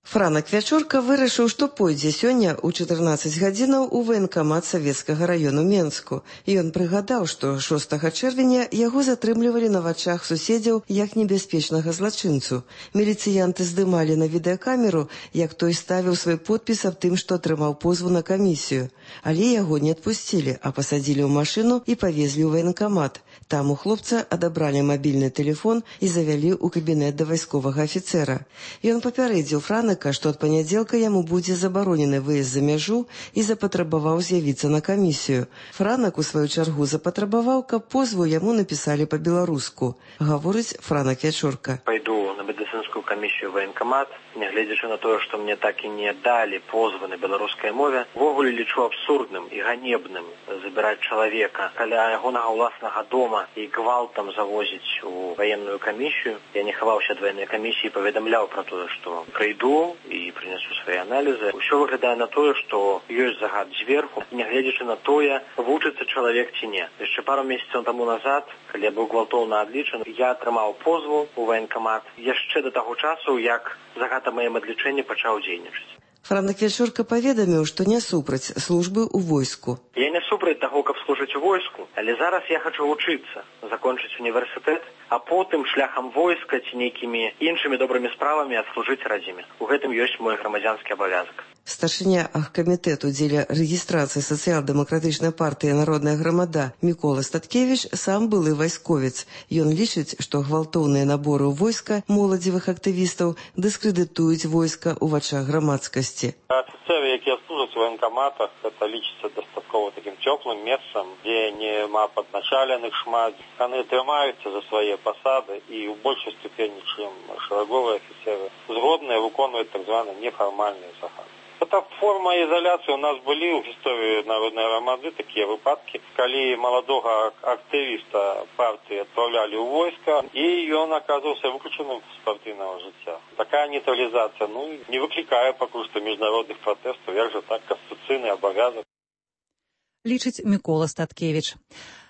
Франак Вячорка вырашыў, што пойдзе сёння ў чатырнаццаць гадзінаў у ваенкамат Савецкага раёну Менску. Ён прыгадаў, што шостага чэрвеня яго затрымлівалі на вачах суседзяў як небяспечнага злачынцу. Міліцыянты здымалі на відэакамеру, як той ставіў свой подпіс аб тым, што атрымаў позву на камісію. Але яго не адпусцілі, а пасадзілі ў машыну і павезлі ў ваенкамат. Там у хлопца адабралі мабільны тэлефон і завялі ў кабінет да вайсковага афіцэра. Ён папярэдзіў Франака, што ад панядзелка яму будзе забаронены выезд за мяжу і запатрабаваў з'явіцца на камісію. Франак, у сваю чаргу, запатрабаваў, каб позву яму напісалі па-беларуску. Гаворыць Франак Вячорка. Пайду на медыцынскую камісію ваенкамат, нягледзячы на тое, што мне так і не далі позвы на беларускай мове. Увогуле лічу абсурдным і ганебным забіраць чалавека каля ягонага ўласнага дома і гвалтам завозіць у ваенную камісію. Я не хаваўся ад ваеннай камісіі, паведамляў пра тое, што прыйду і прынесу свае аналізы. Усё выглядае на тое, што ёсць загад зверху, нягледзячы на тое, вучыцца чалавек ці не. Яшчэ пару месяцаў таму назад, калі я быў гвалтоўна адлічаны, я атрымаў позву ў ваенкамат. Яшчэ яшчэ да таго часу, як загад аб маім адлічэнні пачаў дзейнічаць. Франак Вячорка паведаміў, што не супраць службы ў войску. Я не супраць таго, каб служыць у войску, але зараз я хачу вучыцца, закончыць універсітэт, а потым шляхам войска ці нейкімі іншымі добрымі справамі адслужыць радзіме. У гэтым ёсць мой грамадзянскі абавязак. Старшыня аргкамітэту дзеля рэгістрацыі сацыял-дэмакратычнай партыі «Народная грамада» Мікола Статкевіч сам былы вайсковец. Ён лічыць, што гвалтоўныя наборы ў войска моладзевых актывістаў дыскрэдытуюць войска ў вачах грамадскасці. Офіцеры, якія служаць у военкоматах, это лічыцца дастаткова такім цёплым месцам, дзе нема падначаленых шмат. Яны трымаюцца за свае пасады і ў большай ступені, чым шараговыя афіцеры, згодныя выконваюць так званы нефармальныя загады. Это форма изоляции. У нас были в истории Народной громады такие выпадки, когда молодого активиста партии отправляли в войско, и он оказывался выключенным из партийного життя. Такая нейтрализация, ну, не выкликая пока что международных протестов, як же так, конституційний обов'язок. Лічыць Мікола Статкевіч.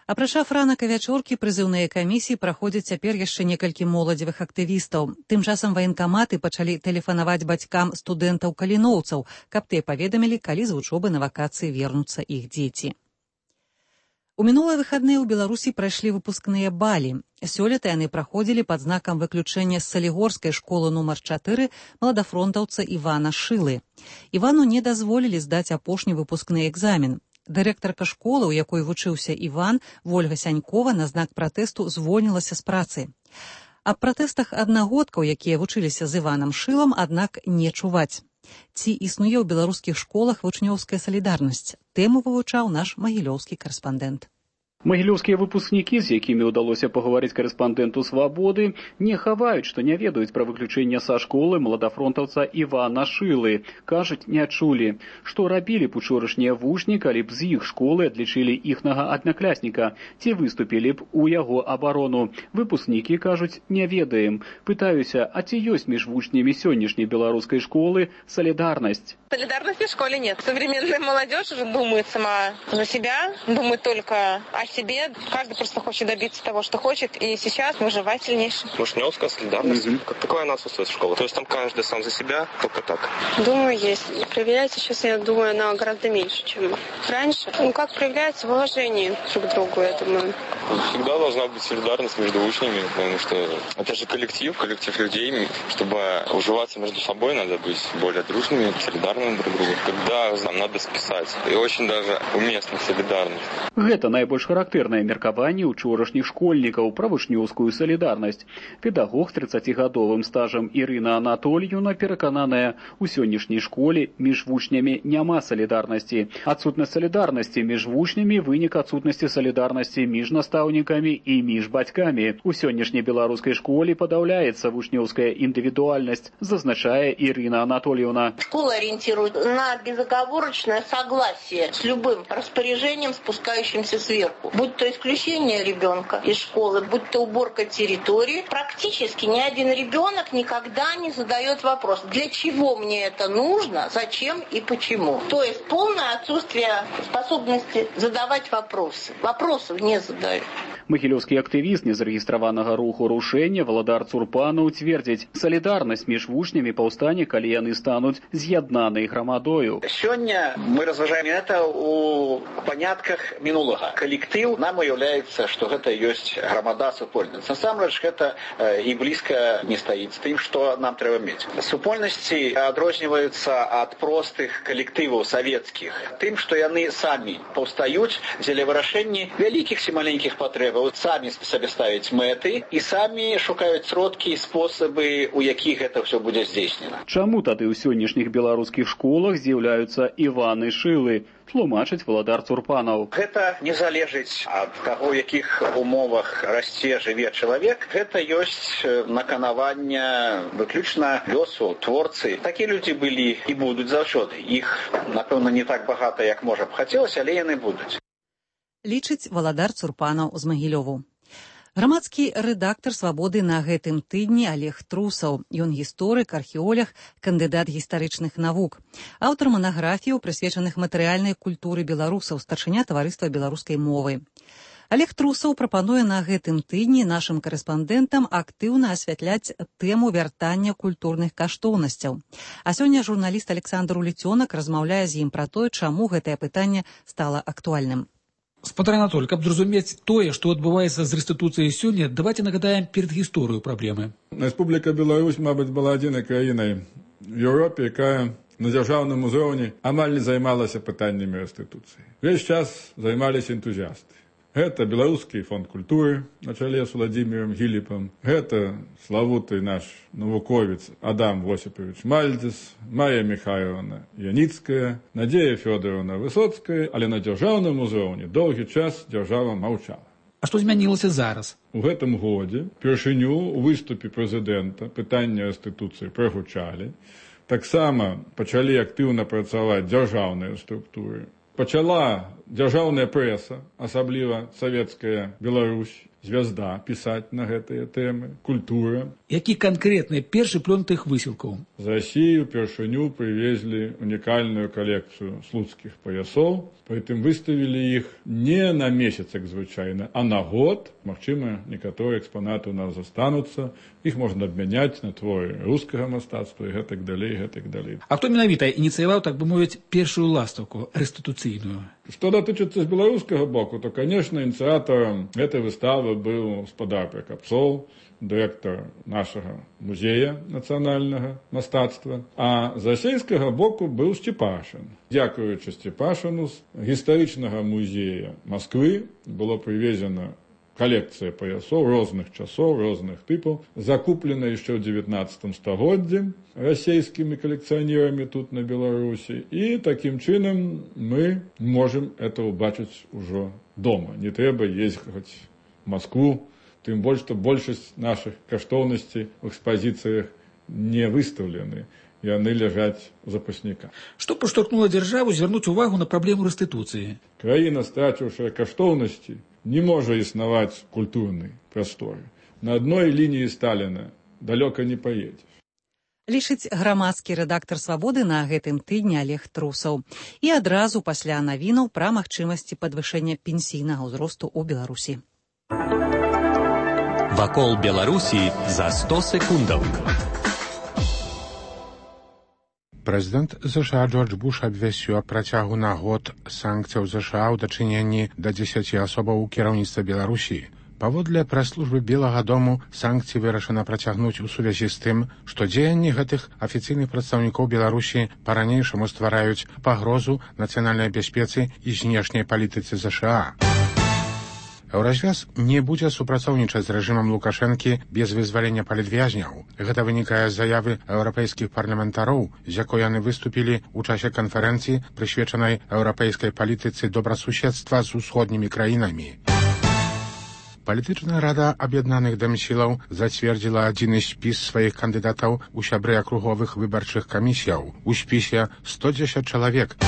Апрача Франака Вячоркі, прызыўныя камісіі праходзяць цяпер яшчэ некалькі моладзевых актывістаў. Тым часам ваенкаматы пачалі тэлефанаваць бацькам студэнтаў-каліноўцаў, каб тыя паведамілі, калі з вучобы на вакацыі вернуцца іх дзеці. У мінулыя выхадныя ў Беларусі прайшлі выпускныя балі. Сёлета яны праходзілі пад знакам выключэння з салігорскай школы нумар чатыры маладафронтаўца Івана Шылы. Івану не дазволілі здаць апошні выпускны экзамен. Дырэктарка школы, у якой вучыўся Іван, Вольга Сянькова, на знак пратэсту звольнілася з працы. Аб пратэстах аднагодкаў, якія вучыліся з Іванам Шылам, аднак не чуваць. Ці існуе ў беларускіх школах вучнёўская салідарнасць? Тэму вывучаў наш магілёўскі карэспандэнт. Магілёўскія выпускнікі, з якімі ўдалося пагаварыць карэспандэнту «Свабоды», не хаваюць, што не ведаюць пра выключэнне са школы маладафронтаўца Івана Шылы. Кажуць, не чулі. Што рабілі б учорашнія вучні, калі б з іх школы адлічылі іхнага аднаклясніка, ці выступілі б у яго абарону? Выпускнікі кажуць, не ведаем. Пытаюся, а ці ёсць між вучнямі сённяшняй беларускай школы солидарность? Солидарности в школе нет. Современная молодежь уже думает сама за себя, думает только о себе. Каждый просто хочет добиться того, что хочет, и сейчас мы выживать сильнейшие. Вушневская солидарность. Mm-hmm. Как такое она отсутствует в школе? То есть там каждый сам за себя, только так? Думаю, есть. Проявляется сейчас, я думаю, она гораздо меньше, чем раньше. Ну, как проявляется в уважении друг к другу, я думаю. Всегда должна быть солидарность между учнями, потому что это же коллектив, коллектив людей. Чтобы уживаться между собой, надо быть более дружными, солидарными друг другу. Когда нам надо списать. И очень даже уместна солидарность. Гэта найбольш характэрнае меркаванне учорашніх школьнікаў пра вучнёўскую салідарнасць. Педагог з трыццацігадовым стажам Ірына Анатольевна перакананая, у сённяшняй школе між вучнямі няма салідарнасці. Адсутнасць салідарнасці між вучнямі вынік адсутнасці салідарнасці між настаўнікамі і між бацькамі. У сённяшняй беларускай школе падаўляецца вучнёўская індывідуальнасць, зазначае Ірына Анатольевна. Школа ориентирует на безоговорочное согласие с любым распоряжением, спускающимся сверху. Будь то исключение ребенка из школы, будь то уборка территории, практически ни один ребенок никогда не задает вопрос, для чего мне это нужно, зачем и почему. То есть полное отсутствие способности задавать вопросы. Вопросов не задают. Магілёўскі актывіст незарэгістраванага руху рушэння Валадар Цурпанаў цвердзіць, салідарнасць між вучнямі паўстане, калі яны стануць з'яднанай грамадою. Сегодня мы разважаем это у понятках минулого. Коллектив нам уявляется, что это есть громада супольница. Насамрэч это и близко не стоит с тем, что нам треба иметь. Супольности отрозниваются от простых коллективов советских тем, что они сами повстают для вырашения великих и маленьких потреб. Самі себе ставять мети і самі шукають сродки і способи, у яких це все буде здійснено. Чаму тады ў сённяшніх беларускіх школах з'яўляюцца Іваны Шылы? Тлумачыць Валадар Цурпанаў. Гэта не залежыць ад таго, у якіх умовах расце, жыве чалавек. Гэта ёсць наканаванне выключна лёсу творцы. Такія людзі былі і будуць заўсёды. Іх, напэўна, не так багата, як можа б хацелася, але яны будуць. Лічыць Валадар Цурпанаў з Магілёву. Грамадскі рэдактар «Свабоды» на гэтым тыдні Олег Трусаў. Ён гісторык, археолог, кандыдат гістарычных навук. Аўтар манаграфіяў, прысвечаных матэрыяльнай культуры беларусаў, старшыня таварыства беларускай мовы. Олег Трусаў прапануе на гэтым тыдні нашым карэспандэнтам актыўна асвятляць тэму вяртання культурных каштоўнасцяў. А сёння журналіст Александр Улецёнак размаўляе з ім пра тое, чаму гэтае пытанне стала актуальным. Спадар Анатоль, каб зразумець тое, што адбываецца з рэстытуцыяй сёння, давайте нагадаем перад гісторыю праблемы. Рэспубліка Беларусь, мабыць, была адзінай краінай в Еўропе, якая на дзяржаўным узроўні амаль не займалася пытаннямі рэстытуцыі. Весь час займаліся энтузіасты. Гэта беларускі фонд культуры на чале з Владзімірам Гіліпам, гэта славуты наш навуковец Адам Восіпавіч Мальдзес, Майя Михайловна Яніцкая, Надзея Фёдоровна Высоцкая, але на дзяржаўным узроўні доўгі час дзяржава маўчала. А што змянілася зараз? У гэтым годзе першыню у выступе прэзідэнта пытанне рэстытуцыі прагучалі. Таксама пачалі актыўна працаваць дзяржаўныя структуры. Пачала дзяржаўная прэса, асабліва савецкая Беларусь, звязда, пісаць на гэтыя тэмы, культура. Які канкрэтны першы плён тых высілкаў? З Расіі ўпершыню прывезлі унікальную калекцыю слуцкіх паясоў, прытым выставілі іх не на месяц, як звычайна, а на год. Магчыма, некаторыя экспанаты ў нас застануцца, іх можна абмяняць на творы рускага мастацтва і гэтак далей, гэтак далей. А хто менавіта ініцыяваў, так бы мовіць, першую ластаўку рэстытуцыйную? Што датычыцца з беларускага боку, то, конечно, ініцыятарам гэтай выставы быў гаспадар Пракапцоў, дырэктар нашага музея нацыянальнага мастацтва, а з расейскага боку быў Сцепашын. Дзякуючы Сцепашыну з гістарычнага музея Масквы было прывезена калекцыя паясоў розных часоў, розных тыпаў, закуплена яшчэ ў дзевятнаццатым стагоддзі расейскімі калекцыянерамі тут на Беларусі. І такім чынам мы можам это ўбачыць ужо дома. Не трэба ездзіць в Москву, тым больш, што большасць нашых каштоўнасцей у экспазіцыях не выстаўлены. Яны ляжаць у запасніках. Што падштурхнула дзяржаву звярнуць увагу на праблему рэстытуцыі? Краіна, страціўшая каштоўнасці, не можа існаваць культурнай прасторы. На адной лініі Сталіна далёка не паедзеш. Лічыць грамадскі рэдактар «Свабоды» на гэтым тыдні Олег Трусаў. І адразу пасля навінаў пра магчымасці падвышэння пенсійнага ўзросту ў Беларусі. Вакол Беларусі за сто секундаў. Прэзідэнт ЗША Джордж Буш абвясціў аб працягу на год санкцыяў ЗША ў дачыненні да дзесяці асобаў у кіраўніцтва Беларусі. Паводле прэс-службы Белага дому санкцыі вырашана працягнуць у сувязі з тым, што дзеянні гэтых афіцыйных прадстаўнікоў Беларусі па-ранейшаму ствараюць пагрозу нацыянальнай бяспецы і знешняй палітыцы ЗША. Еўразвяз не будзе супрацоўнічаць з рэжымам Лукашэнкі без вызвалення палітвязняў. Гэта вынікае з заявы еўрапейскіх парламентароў, з якой яны выступілі ў часе канферэнцыі, прысвечанай еўрапейскай палітыцы добрасуседства з усходнімі краінамі. Палітычная рада аб'яднаных дэмсілаў зацвердзіла адзіны спіс сваіх кандыдатаў у сябры акруговых выбарчых камісіяў. У спісе сто дзесяць чалавек.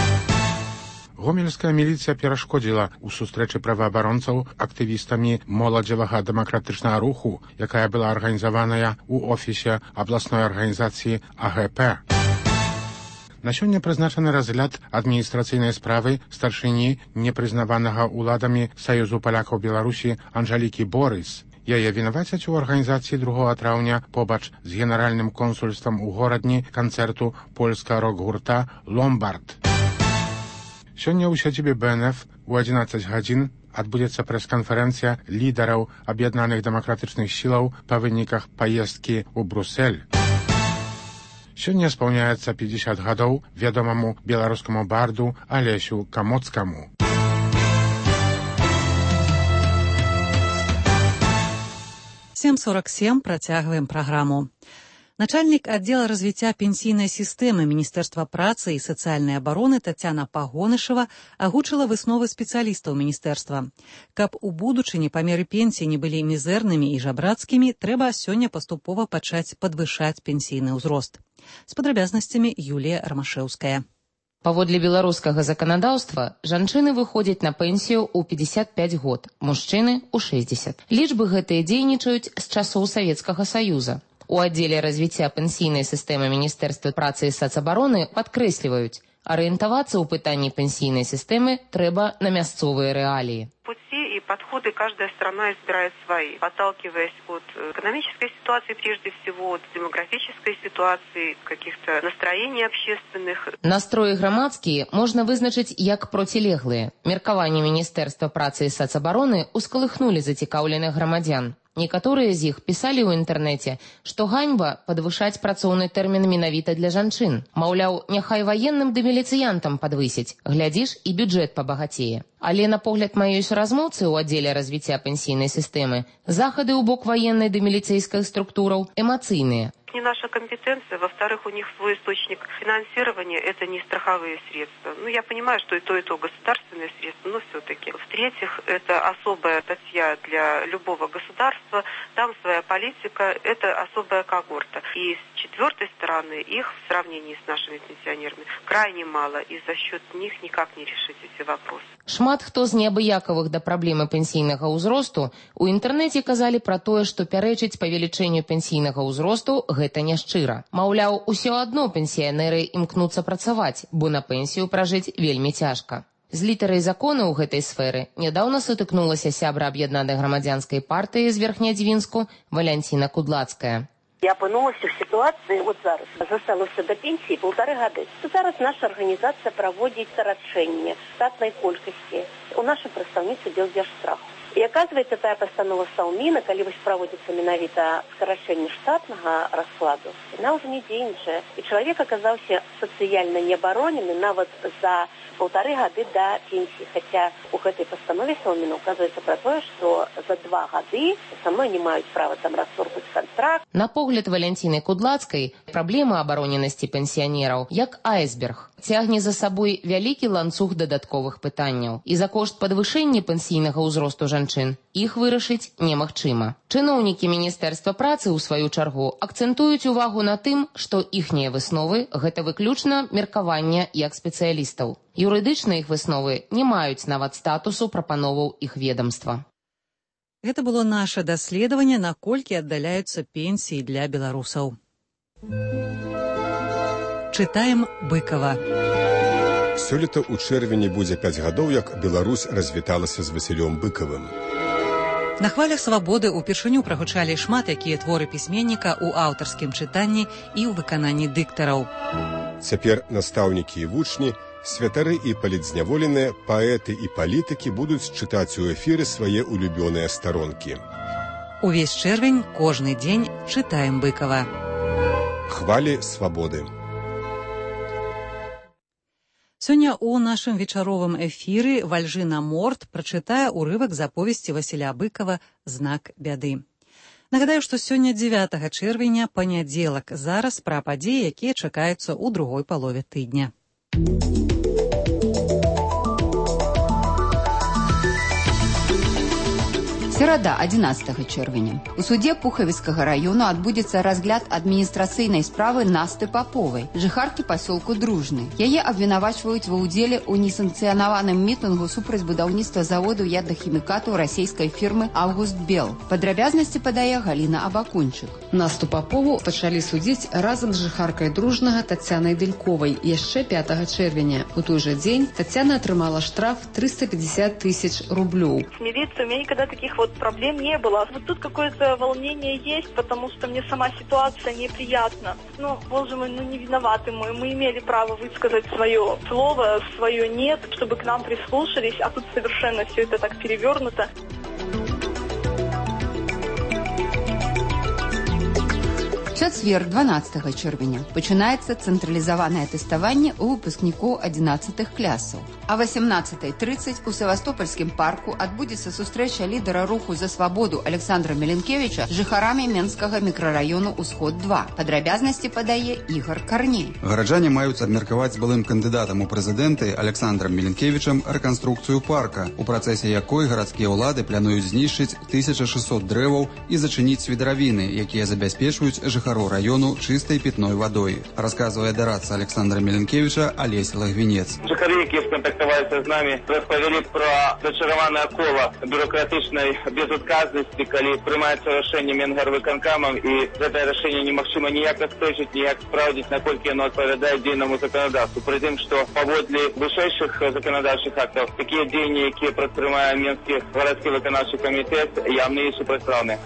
Гомельская міліцыя перашкодзіла ў сустрэчы праваабаронцаў актывістамі моладзевага дэмакратычнага руху, якая была арганізаваная ў офісе абласной арганізацыі А Г П. На сёння прызначаны разгляд адміністрацыйнай справы старшыні непрызнаванага ўладамі Саюзу палякаў Беларусі Анжалікі Борыс. Яе вінавацяць у арганізацыі другога траўня побач з генеральным консульствам у горадні канцэрту польскага рок-гурта «Ломбард». Сёння ў сядзібе Б Н Ф у адзінаццаць гадзін адбудзецца прэс-канферэнцыя лідараў аб'яднаных дэмакратычных сілаў па выніках паездкі ў Брусэль. Сёння спаўняецца пятьдесят гадоў вядомаму беларускаму барду Алесю Камоцкаму. сем сорок сем працягваем праграму. Начальнік аддзела развіцця пенсійнай сістэмы Міністэрства працы і сацыяльнай абароны Тацяна Пагонышева агучыла высновы спецыялістаў міністэрства. Каб у будучыні памеры пенсій не былі мізэрнымі і жабрацкімі, трэба сёння паступова пачаць падвышаць пенсійны ўзрост. З падрабязнасцямі Юлія Рамашэўская. Паводле беларускага заканадаўства, жанчыны выходзяць на пенсію ў пятьдесят пять год, мужчыны ў шестьдесят. Лічбы гэтыя дзейнічаюць з часоў Савецкага Саюза. У аддзеле развіцця пенсійнай сістэмы Міністэрства працы і сацабароны падкрэсліваюць, арыентавацца ў пытанні пенсійнай сістэмы трэба на мясцовыя рэаліі. Пуці і и подходы каждая страна избирает свои, отталкиваясь от экономической ситуации прежде всего, от демографической ситуации, каких-то настроений общественных. Настроі грамадскія можна вызначыць як процілеглыя. Меркаванні Міністэрства працы і сацабароны ускалыхнулі зацікаўленых грамадзян. Некаторыя з іх пісалі ў інтэрнэце, што ганьба падвышаць працоўны тэрмін менавіта для жанчын. Маўляў, няхай ваенным ды міліцыянтам падвысіць, глядзіш, і бюджэт пабагацее. Але на погляд маёй суразмоўцы ў аддзеле развіцця пенсійнай сістэмы захады ў бок ваеннай ды міліцэйскіх структураў эмацыйныя. Не наша компетенция, во-вторых, у них свой источник финансирования, это не страховые средства. Ну, я понимаю, что и то, и то государственные средства, но все-таки. В-третьих, это особая статья для любого государства, там своя политика, это особая когорта. И с четвертой стороны, их в сравнении с нашими пенсионерами крайне мало, и за счет них никак не решить эти вопросы. Шмат хто з неабыякавых да праблемы пенсійнага ўзросту у інтэрнэце казалі пра тое, што пярэчыць павелічэнню пенсійнага ўзросту гэта няшчыра. Маўляў, усё адно пенсіянеры імкнуцца працаваць, бо на пенсію пражыць вельмі цяжка. З літарай закону ў гэтай сферы нядаўна сутыкнулася сябра аб'яднанай грамадзянскай партыі з Верхнядзвінску Валянціна Кудлацкая. Я апынулася в ситуации, вот зараз, засталося до пенсии полторы года. Зараз наша организация проводит сокращение штатной колькости у нашей представницы Белдержстраху. И оказывается, та постанова Саумина, когда проводится менавіта сокращение штатного раскладу, она уже не дзейнічае. И человек оказался социально необороненным нават за полторы года до пенсии. Хотя у этой постанове Саумина указывается про то, что за два года со мной не имеют права там расторгнуть контракт. На погляд Валянціны Кудлацкай, праблема абароненасці пенсіянераў як айсберг цягне за сабой вялікі ланцуг дадатковых пытанняў. І за кошт падвышэння пенсійнага ўзросту жанчын іх вырашыць немагчыма. Чыноўнікі Міністэрства працы, у сваю чаргу, акцэнтуюць увагу на тым, што іхнія высновы – гэта выключна меркавання як спецыялістаў. Юрыдычныя іх высновы не маюць нават статусу прапановаў іх ведомства. Гэта было наше даследаванне, наколькі аддаляюцца пенсіі для беларусаў. Чытаем Быкова. Сёлета ў чэрвені будзе пяць гадоў, як Беларусь развіталася з Васілём Быкавым. На хвалях свабоды ўпершыню прагучалі шмат якія творы пісьменніка ў аўтарскім чытанні і ў выкананні дыктараў. Цяпер настаўнікі і вучні, святары і палітзняволеныя, паэты і палітыкі будуць чытаць у эфіры свае улюбёныя старонкі. Увесь чэрвень, кожны дзень чытаем Быкава. Хвалі свабоды. Сёння ў нашым вечаровым эфіры Вальжына Морт прачытае ўрывак з аповесці Васіля Быкава «Знак бяды». Нагадаю, што сёння дзевятага чэрвеня, панядзелак, зараз пра падзеі, якія чакаюцца ў другой палове тыдня. Серада, адзінаццатага чэрвеня. У судзе Пухавіцкага раёну адбудзецца разгляд адміністрацыйнай справы Насты Паповай, жыхаркі пасёлку Дружны. Яе абвінавачваюць ва ўдзеле ў несанкцыянаваным мітынгу супраць будаўніцтва заводу ядахімікатаў расійскай фірмы «Август Бел». Падрабязнасці падае Галіна Абакунчык. Насту Папову пачалі судзіць разам з жыхаркай Дружнага Тацянай Дэльковай яшчэ пятага чэрвеня. У той жа дзень Тацяна атрымала штраф триста пятьдесят тысяч рублёў. Милиция, у меня никогда таких вот проблем не было. Вот тут какое-то волнение есть, потому что мне сама ситуация неприятна. Ну, боже мой, ну не виноваты мы. Мы имели право высказать свое слово, свое «нет», чтобы к нам прислушались, а тут совершенно все это так перевернуто. Чацвер, дванаццатага чэрвеня, пачынаецца цэнтралізаванае тэставанне ў выпускнікоў адзінаццатых класаў. А васемнаццатай трыццаць у Севастопольскім парку адбудзецца сустрэча лідара руху за свабоду Александра Меленкевича з жыхарамі Менскага мікрараёну «Усход два». Падрабязнасці падае Ігор Карней. Гараджане маюць абмеркаваць з былым кандыдатам у прэзідэнты Александрам Меленкевичам рэканструкцыю парка, у працэсе якой гарадскія ўлады плануюць знішчыць тысяча шэсцьсот дрэваў і зачыніць свідравіны, якія забяспечваюць жыхарамі жыхароў раёну чыстай пітной вадой, расказвае дарадца Александра Меленкевича Олесь Лагвінец. Жыхары, якія скантактаваліся з намі, распавялі пра зачараванае кола бюрократычнай безадказнасці, калі прымаецца рашэнне Менгарвыканкамам, і гэтае рашэнне немагчыма ніяк адстойчыць, ніяк спраўдзіць, наколькі яно адпавядае дзейнаму заканадаўству. Пры тым, што паводле вышэйшых заканадаўчых актаў, такія дзеянні, якія прадпрымае Менскі гарадскі выканаўчы камітэт, явна і супрацьпраўныя.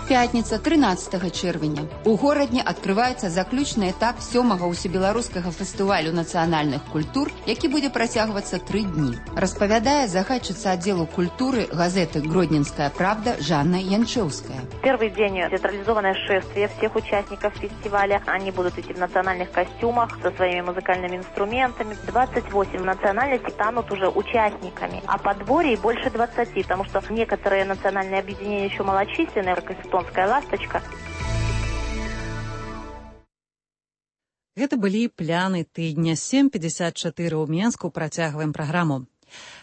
Пятница, тринадцатого чэрвеня. У горадні адкрываецца заключны этап сёмага ўсебеларускага фестывалю нацыянальных культур, які будзе працягвацца тры дні. Распавядае загадчыца аддзелу культуры газеты «Гродненская правда» Жанна Янчевская. Первый день театрализованное шествие всех участников фестиваля. Они будут идти в национальных костюмах со своими музыкальными инструментами. двадцать восемь национальностей станут уже участниками, а подворий больше двадцати, потому что некоторые национальные объединения еще малочисленные, как эстонская «Ласточка». Гэта былі пляны тыдня. сем пятьдесят четыре ў Менску працягваем праграму.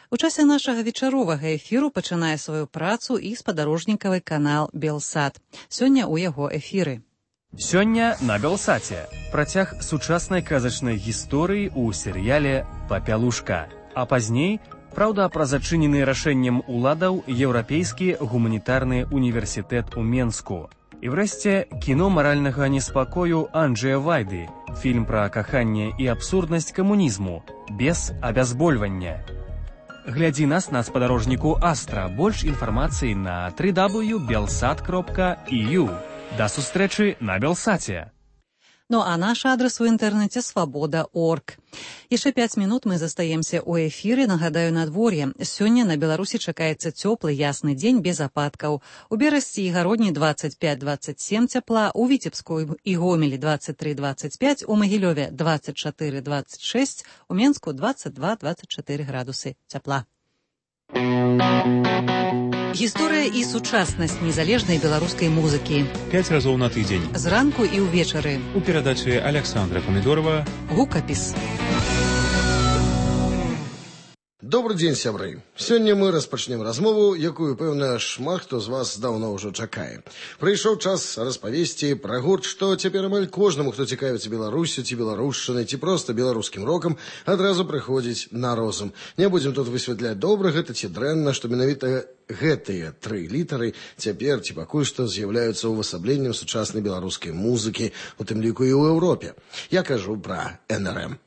У часе нашага вечаровага эфіру пачынае сваю працу і спадарожнікавы канал «Белсат». Сёння ў яго эфіры. Сёння на «Белсаце» працяг сучаснай казачнай гісторыі ў серыяле «Папялушка». А пазней, праўда, пра зачынены рашэннем уладаў Еўрапейскі гуманітарны універсітэт у Менску. І врэшце кіно маральнага неспакою Анджэя Вайды, фільм пра каханне і абсурднасць камунізму, без абязбольвання. Глядзі нас на спадарожніку Астра. Больш інфармацыі на дабл ю дабл ю крапка белсат крапка і ю. Да сустрэчы на Белсаце. Ну а наш адрес у інтэрнэце свабода крапка орг. Яшчэ пяць минут мы застаемся ў эфіры. Нагадаю, надвор'е. Сёння на Беларусі чакаецца цёплы ясны дзень без ападкаў. У Берасці і Гародні двадцать пять двадцать семь цяпла, у Віцебску і Гомелі двадцать три двадцать пять, у Магілёве двадцать четыре двадцать шесть, у Менску двадцать два двадцать четыре градусы цяпла. Гісторыя і сучаснасць незалежнай беларускай музыкі. Пяць разоў на тыдзень. Зранку і ўвечары. У перадачы Александра Помидорова «Гукапіс». Добрый дзень, сябры. Сёння мы распачнем размову, якую, пэўна, шмат хто з вас даўно ўжо чакае. Прыйшоў час распавесці пра гурт, што цяпер амаль кожнаму, хто цікавіцца Беларусю ці беларушчынай, ці проста беларускім рокам, адразу прыходзіць на розум. Не будзем тут высвятляць, добра гэта ці дрэнна, што менавіта гэтыя тры літары цяпер ці пакуль што з'яўляюцца ўвасабленнем сучаснай беларускай музыкі, у тым ліку і ў Еўропе. Я кажу пра эн эр эм.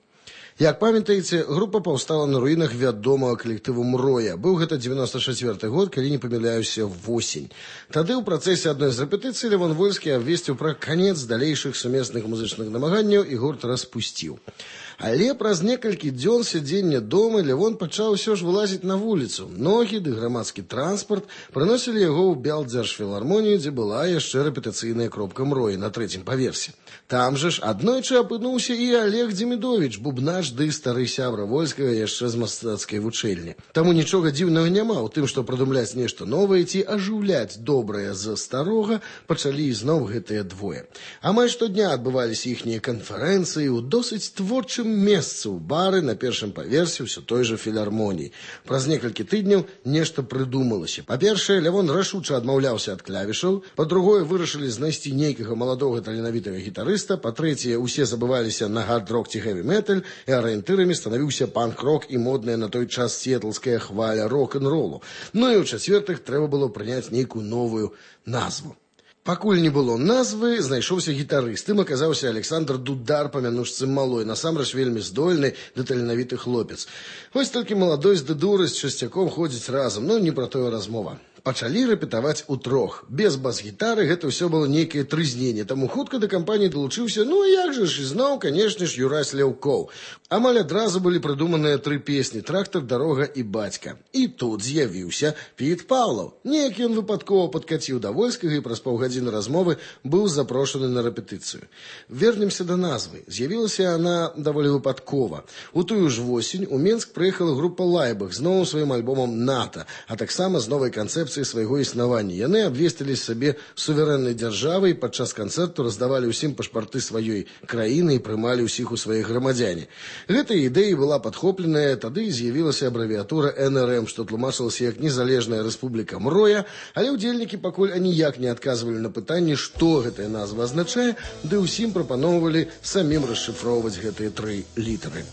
Як памятаеце, група паўстала на руінах вядомага калектыву «Мроя». Быў гэта девяносто четвёрты год, калі не памыляюся, восень. Тады ў працэсе адной з рэпетыцый Левон Вольскі абвесціў пра канец далейшых сумесных музычных намаганняў і гурт распусціў. Але праз некалькі дзён сядзення дома Левон пачаў усё ж вылазіць на вуліцу. Ногі ды грамадскі транспарт прыносілі яго ў Бялдзяржфілармонію, дзе была яшчэ рэпетыцыйная кропка «Мроі» на трэцім паверсе. Там жа ж аднойчы апынуўся і Олег Дземідовіч, бубнаш ды стары сябра Вольскага яшчэ з мастацкай вучэльні. Таму нічога дзіўнага няма ў тым, што прадумляць нешта новае ці ажыўляць добрае з старога пачалі ізноў гэтыя двое. Амаль штодня адбываліся іхнія канферэнцыі ў досыць творчым месцы ў бары на першым паверсе ўсё той жа філармоніі. Праз некалькі тыдняў нешта прыдумалася. Па-першае, Лявон рашуча адмаўляўся ад клавішаў, па-другое, вырашылі знайсці нейкага маладога таленавітага гітарыста, па-трэцяе, усе забываліся на хард-рок ці хэві-металь, і арыентырамі станавіўся панк-рок і модная на той час сіэтлская хваля рок-н-ролу. Ну і ў-чацвёртых, трэба было прыняць нейкую новую назву. Пакуль не было назвы, знайшоўся гітарыст. Ім аказаўся Александр Дудар па мянушцы Малой, насамрэч вельмі здольны ды таленавіты хлопец. Вось толькі маладосць ды дурасць часцяком ходзіць разам, ну не пра тое размова. Пачалі рэпетаваць утрох. Без бас-гітары гэта ўсё было нейкае трызненне, таму хутка да кампаніі далучыўся, ну як жа ж, ізноў, канешне ж, Юрась Ляўкоў. Амаль адразу былі прыдуманыя тры песні «Трактар», «Дарога» і «Бацька». І тут з'явіўся Піт Паўлаў. Неяк ён выпадкова падкаціў да Вольскага і праз паўгадзіны размовы быў запрошаны на рэпетыцыю. Вернемся да назвы. З'явілася яна даволі выпадкова. У тую ж восень у Менск прыехала група «Лайбах» з новым сваім альбомам «НАТО», а таксама з новай канцэпцыяй канцэпцыі свайго існавання. Яны абвесцілі сабе суверэннай дзяржавай, падчас канцэрту раздавалі ўсім пашпарты сваёй краіны і прымалі ўсіх у свае грамадзяне. Гэтая ідэя была падхопленая, тады з'явілася абрэвіатура эн эр эм, што тлумачылася як незалежная рэспубліка Мроя, але ўдзельнікі пакуль аніяк не адказвалі на пытанне, што гэтая назва азначае, ды ўсім прапаноўвалі самім расшыфроўваць гэтыя тры літары.